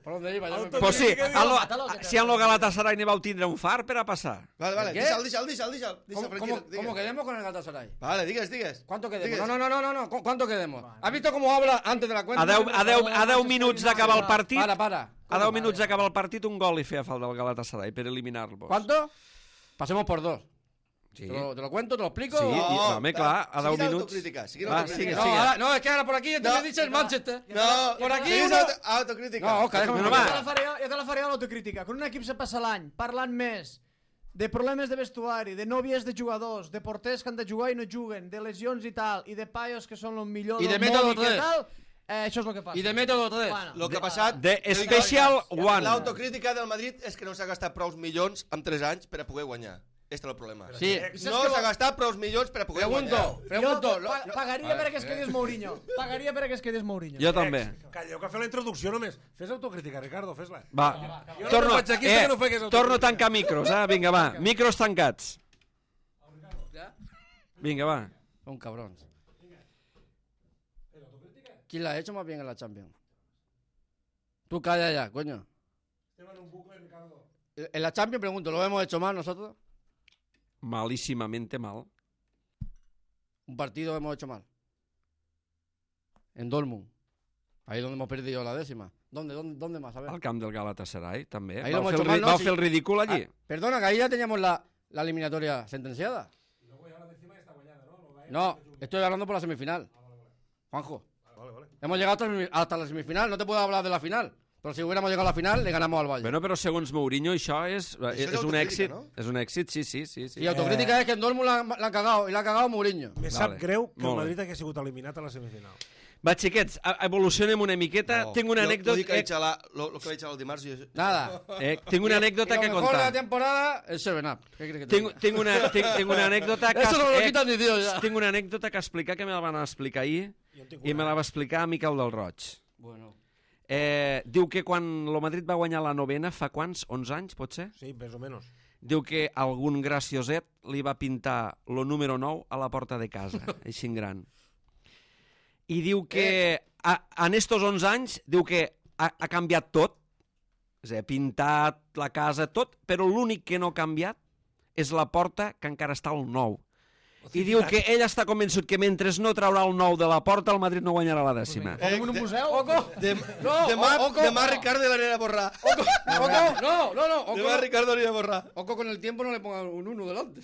¿Por dónde iba? Ya me- Pues sí, Autocrítica, en lo, mátalo, que te- si en lo Galatasaray ne vau tindre un far per a passar. Vale, vale, ¿Qué? deixa'l, deixa'l, deixa'l, deixa'l. ¿Cómo, Deixa'l, cómo, tranquil, digues. cómo quedemos con el Galatasaray? Vale, digues, digues. ¿Cuánto quedemos? Digues. No, no, no, no, no, ¿cu- ¿cuánto quedemos? ¿Has visto cómo habla antes de la cuenta? A deu, a deu, a deu minuts d'acabar el partit, Para, para. a deu minuts d'acabar el partit, un gol li feia falta al Galatasaray per eliminar-lo. ¿Cuánto? Pasemos por dos. Sí, ¿Te lo, te lo cuento? ¿Te lo explico? Sí, o- i, home, clar, a deu Seguida minuts... autocrítica, seguida Va, autocrítica. sigue, No, sigue. ahora- no, es que ahora por aquí entonces No. dice el Manchester. No, Por aquí seguida uno- auto- autocrítica. No, Oscar, déjame Bueno, un va. Jo te momento. la faré, jo te la faré a l'autocrítica. Quan un equip se passa l'any parlant més de problemes de vestuari, de nòvies de jugadors, de porters que han de jugar i no juguen, de lesions i tal, i de paios que són els millors I de del método món i que tres. tal, eh, això és el que passa. Y de método tres. Bueno. Lo que ha passat... De Special One. L'autocrítica del Madrid és que no s'ha gastat prou milions en tres anys per a poder guanyar. Este és el problema. Sí. No s'ha gastat prou milions per a poder Pregunto, guanyar. pregunto. Jo lo- pa pagaria Vale, perquè es quedés Mourinho. Pagaria perquè es quedés Mourinho. Jo també. Calleu, que fer la introducció només. Fes autocrítica, Ricardo, fes-la. Va, Jo no torno, faig aquí, sé eh, que no fegues autocrítica. torno a tancar micros, eh? Vinga, va, micros tancats. Vinga, va. Son cabrones. ¿Quién la ha hecho más bien en la Champions? Tú calla ya, coño. En la Champions, pregunto, ¿lo hemos hecho mal nosotros? Malísimamente mal. Un partido hemos hecho mal. En Dortmund. Ahí donde hemos perdido la décima. ¿Dónde, dónde, dónde más? A ver. Al camp del Galatasaray, també. Ahí lo Vau hemos fer, hecho el, ri- mal, ¿no? vau Sí. fer el ridícul allí. Ah, perdona, que ahí ya teníamos la, la eliminatoria sentenciada. No, estoy hablando por la semifinal. Juanjo. Vale, vale. Hemos llegado hasta, semi- hasta la semifinal. No te puedo hablar de la final. Pero si hubiéramos llegado a la final, le ganamos al Valle. Bueno, però segons Mourinho això és, és és un autocrítica, èxit. no? És un èxit, sí, sí, sí. sí. Y autocrítica es que en Dortmund la, han- la han cagado. Y la ha cagado Mourinho. Me Vale. sap greu que el Molt bé. Madrid hagi sigut eliminat a la semifinal. Va, xiquets, a- evolucionem una miqueta. No, Tinc una jo- anècdota... Lo que Eh, vaig xalar, lo, lo que vaig xalar el dimarts... Jo... Nada. eh, tinc una anècdota Y que lo mejor de la contar. temporada, el seven up. ¿Qué crees que te Tinc, diga? tinc, una, tinc, tinc una anècdota que... Eso no lo eh, quitan ni Dios ya. tinc una anècdota que explicar que me la van explicar ahir Jo en tinc i me una. la va explicar a Miquel del Roig. Bueno. Eh, diu que quan el Madrid va guanyar la novena, fa quants? onze anys, pot ser? Sí, més o menys. Diu que algun gracioset li va pintar lo número nou a la porta de casa, així en gran. I diu que a, en estos onze anys, diu que ha, ha canviat tot, és a dir, ha pintat la casa, tot, però l'únic que no ha canviat és la porta, que encara està al nou. I diu que ell està convençut que mentre no traurà el nou de la porta, el Madrid no guanyarà la dècima. Fem un museu? De, No, demà, o- oco, demà no. Ricardo l'anirà a borrar. Oco, no, no, no. Oco, Demà Ricardo l'anirà a borrar. Oco con el tiempo no le pongan un uno delante.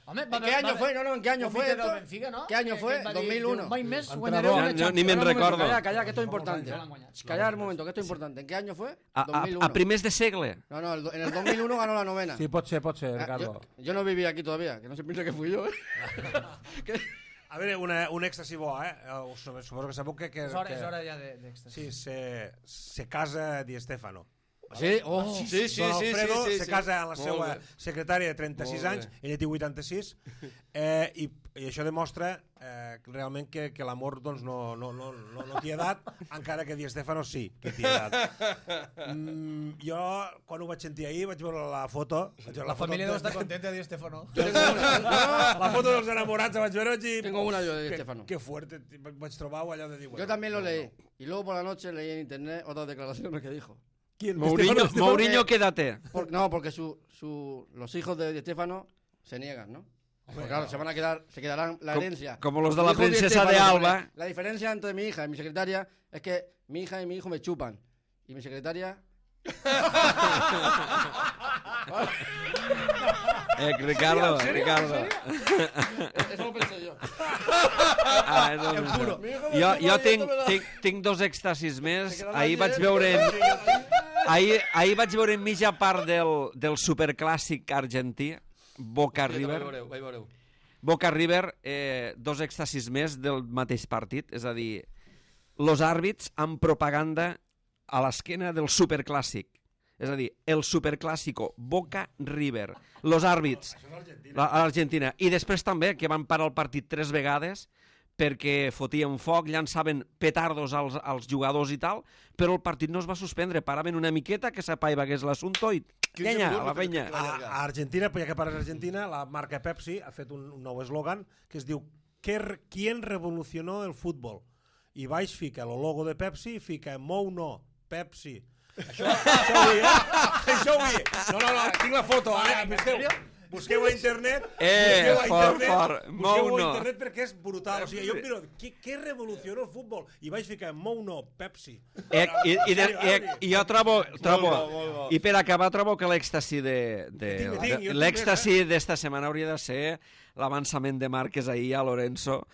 Home, ¿En qué año fue? No, no, ¿en qué año fue Del esto? Benfica, no? ¿Qué año Que- fue? que va dir, dos mil uno. diu, Mai més Entrenador. guanyareu una Ja, no, ni Champions. me'n Espera un momento, recordo. Calla, calla, que esto es importante. Ja l'han guanyat. Callar un momento, que esto es importante. ¿En qué año fue? A, dos mil a, uno. a primers de segle. No, no, el do- en el dos mil uno ganó la novena. Sí, pot ser, pot ser, Ah, Ricardo. yo, yo no viví aquí todavía, que no se piense que fui yo, ¿eh? Que- A veure, una, un èxtasi bo, eh? Eh, Suposo que sabeu que... que, És hora, que és hora ja de- d'èxtasi. Sí, se, se casa Di Stefano. Sí, oh, Sí, sí, Don sí, Alfredo sí, sí, se sí. casa amb la Molt seva bé. secretària de trenta-sis Molt anys, bé. ella té vuitanta-sis, eh, i, i això demostra eh, realment que, que l'amor doncs, no, no, no, no, no té edat, encara que Di Stefano sí que té edat. Mm, jo, quan ho vaig sentir ahir, vaig veure la foto... Vaig veure La foto família de- deu estar contenta de Di Stefano. Yo tengo una, La foto dels enamorats la vaig veure i... Tengo una yo de Di que, Stefano. Que fuerte, vaig trobar allò de dir... Yo también lo leí. Y luego por la noche leí en internet otras declaraciones que dijo. ¿Quién? Mourinho, Di Stefano? Mourinho què edat té? Por- no, porque su, su, los hijos de Di Stefano se niegan, ¿no? Porque claro, se van a quedar, se quedarán la Com- herencia. como los de la Hijo Di princesa Stefano de pone, Alba. La diferencia entre mi hija y mi secretaria es que mi hija y mi hijo me chupan. Y mi secretaria... Eh, Ricardo, Ricardo. Eso lo pensé yo. Ah, és el juro. Jo, jo tinc, tinc, tinc dos èxtasis més. Se quedarà Ahir vaig lleno. veure... Ahir, ahir vaig veure en mitja part del, del superclàssic argentí, Boca Vaig River. veureu, vaig veureu. Boca River, eh, dos èxtasis més del mateix partit, és a dir, los àrbits amb propaganda a l'esquena del superclàssic. És a dir, el superclàssico Boca River. Los àrbits la- a l'Argentina. I després també que van parar el partit tres vegades perquè fotien foc, llançaven petardos als, als jugadors i tal, però el partit no es va suspendre. Paraven una miqueta que s'apaivagués l'assumpte i quinze llenya, minuts a la va fer penya. que- A, a Argentina, pues ja que parles d'Argentina, la marca Pepsi ha fet un, un nou eslògan que es diu "¿Qué- ¿Quién revolucionó el fútbol?" I baix fica el logo de Pepsi i fica "Mou no, Pepsi". Això, això ho vull, eh? Això ho vull. No, no, no, tinc la foto. Ara, busqueu, busqueu a internet. Eh, busqueu a fort, internet, fort. busqueu Mou a no. internet perquè és brutal. O sigui, jo em miro, què, què revolucionó el futbol? I vaig ficar "Mou no, Pepsi". Eh, i, i, de, i, i jo trobo, trobo bo, molt bo. i per acabar trobo que l'èxtasi de, de, Jo tinc, tinc, jo de tinc l'èxtasi d'esta setmana hauria de ser l'avançament de Márquez ahir a Lorenzo,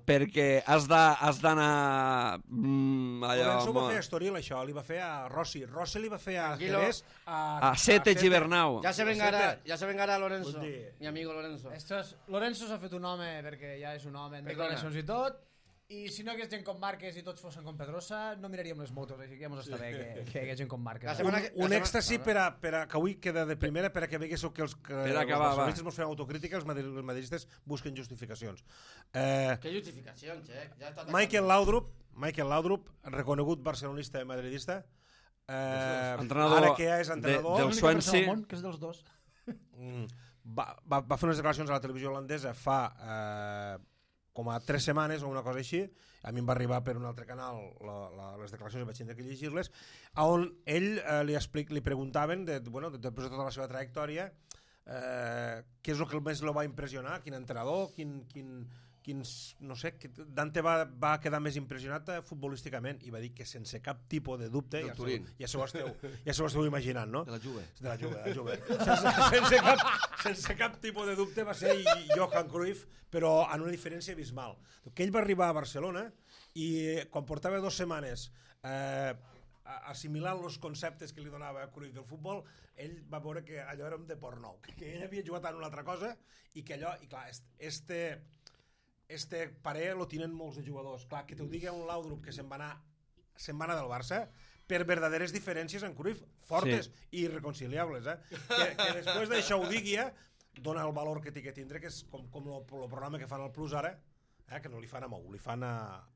perquè has de- has d'anar mm, allò Lorenzo va mo- fer a Estoril, això, li va fer a Rossi. Rossi li va fer a Tranquilo. Jerez. a Sete Gibernau. Ya se vengará, ya se vengará Lorenzo, Bon dia. mi amigo Lorenzo. Esto és... Lorenzo s'ha fet un home perquè ja és un home en Perdona. declaracions i tot, i si no hi hagués gent com Márquez i tots fossin com Pedrosa, no miraríem les motos, així que ja mos està bé que, que hi hagi gent com La Márquez. setmana Un, que- un la èxtasi setmana- per a, per a, que avui queda de primera per a que veguéssiu que els, que Per els acabar, va. barcelonistes mos fem autocrítica, els, madri- els madridistes busquen justificacions. Eh, Qué justificación, che. Ya está Michael Laudrup, Michael Laudrup, reconegut barcelonista i madridista, eh, Entrenador ara que ja és de- entrenador, del L'única persona Swansea. al món que és dels dos. mm, va, va, va fer unes declaracions a la televisió holandesa fa eh, com a tres setmanes o una cosa així, a mi em va arribar per un altre canal la, la, les declaracions, vaig tenir que llegir-les, on ell eh, li, explic, li preguntaven, de, bueno, de, després de tota la seva trajectòria, eh, què és el que més lo va impressionar, quin entrenador, quin... quin quins, no sé, Dante va, va quedar més impressionat futbolísticament i va dir que sense cap tipus de dubte, ja s'ho, ja s'ho esteu, ja s'ho esteu imaginant, no? De la Juve. De la Juve, de la Juve. Sense, sense, cap, sense cap tipus de dubte va ser Johan Cruyff, però en una diferència abismal. Que ell va arribar a Barcelona i quan portava dues setmanes eh, assimilant els conceptes que li donava Cruyff del futbol, ell va veure que allò era un deport nou, que ell havia jugat en una altra cosa i que allò, i clar, este... este parer lo tenen molts de jugadors. Clar, que t'ho digui un Laudrup que se'n va anar se'n va anar del Barça per verdaderes diferències en Cruyff, fortes sí. i irreconciliables, eh? Que, que després d'això ho digui, eh? Dona el valor que té que tindre, que és com, com el programa que fan al Plus ara, eh? Que no li fan a Mou, li fan a,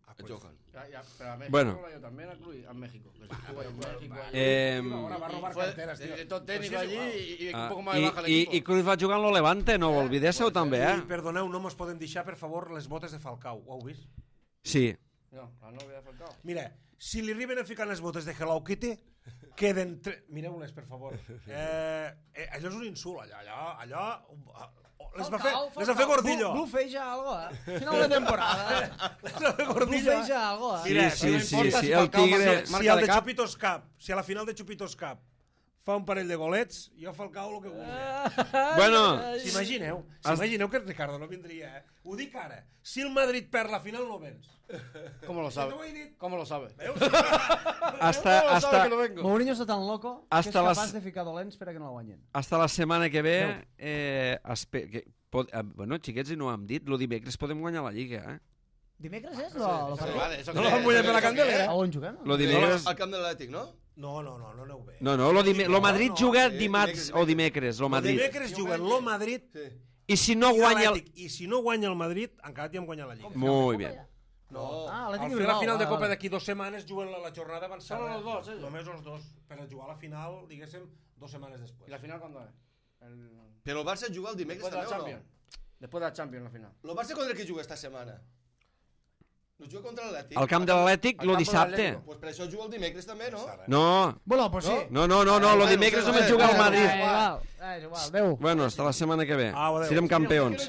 a Cruyff. Ja, ja, però a México bueno. yo también a Cruyff, a México. Que se estuvo en México. Eh, Ahora va a robar fue carteras, tío. de tot técnico allí y, y un poco más i, baja el i, equipo. I Cruyff va jugar en lo Levante, no ho oblidéssiu també, eh? I perdoneu, no mos poden deixar, per favor, les botes de Falcao. Ho heu vist? Sí. No, la novia de Falcao. Mira, si li arriben a ficar les botes de Hello Kitty, queden... Tre... Mireu-les, per favor. Eh, eh, allò és un insult, allò... allò, allò les va fer, les va fer Gordillo. Blufeja algo, eh? Final de temporada. Les va fer Gordillo. Blufeja algo, eh? Mira, Sí, sí, si sí, sí, el Tigre... Si el de Chupitos Cup, si a la final de Chupitos Cup fa un parell de golets, jo Falcao el que vulgui. Bueno, S'imagineu, s'imagineu que Ricardo no vindria, eh? Ho dic ara. Si el Madrid perd la final, no vens. ¿Cómo lo sabe? T'ho he dit. ¿Cómo lo sabe? Veus? hasta, ¿Cómo lo sabe hasta, que no vengo? Mourinho està tan loco que és Hasta capaç les- de ficar dolents per a que no la guanyen. hasta la setmana que ve... Eh, espe... que, pot, eh, bueno, xiquets, i no ho hem dit, lo dimecres podem guanyar la Lliga, eh? Dimecres és lo, lo Eso partit? vale, eso No que- lo van mullar per la eso que- candelera. A on juguem? Lo dimecres... Al camp de l'Atlètic, no? No, no, no, no aneu bé. No, no, lo, dime... lo Madrid no, juga sí, dimarts dimecres, o dimecres, lo El Madrid. dimecres juguen lo Madrid Sí. I si no i guanya el... l'Atlètic. I si no guanya el Madrid, encara t'hi hem guanyat la Lliga. Muy bien. No. Ah, Al l'Atlètic fer Bilbao. la final de vale, Copa vale. d'aquí dues setmanes juguen la, la jornada avançada. Solo los dos, ellos. Només els dos. Per a jugar la final, diguéssim, dues setmanes després. ¿Y la final cuándo es? El... Però el Barça juga el dimecres Después de la també o no? Champions. Después de la Champions, la final. El Barça contra qui juga esta setmana? No juga contra l'Atlètic? Al camp de l'Atlètic, Al lo camp de dissabte. l'Atlético. Pues per això juga el dimecres també, no? No, Bueno, pues sí. no, no, no, no, lo Bueno, dimecres sí, només sí, juga el sí, Madrid. Eh, igual, eh, és igual, adéu. Bueno, hasta la setmana que ve. Au, adéu. Serem campions.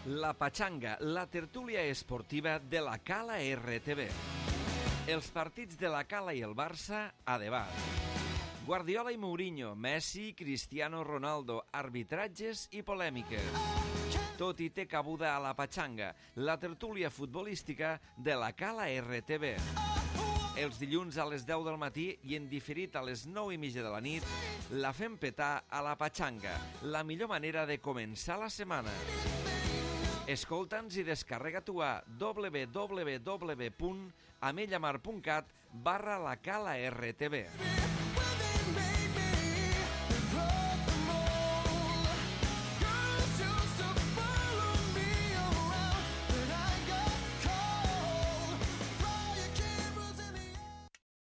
La Pachanga, la tertúlia esportiva de la Cala R T V. Els partits de la Cala i el Barça a debat. Guardiola i Mourinho, Messi, Cristiano Ronaldo, arbitratges i polèmiques. Tot hi té cabuda a la Pachanga, la tertúlia futbolística de la Cala R T V. Els dilluns a les deu del matí i en diferit a les nou i mitja de la nit, la fem petar a la Pachanga, la millor manera de començar la setmana. Escolta'ns i descarrega tu a w w w punt amellamar punt cat barra la Cala R T V.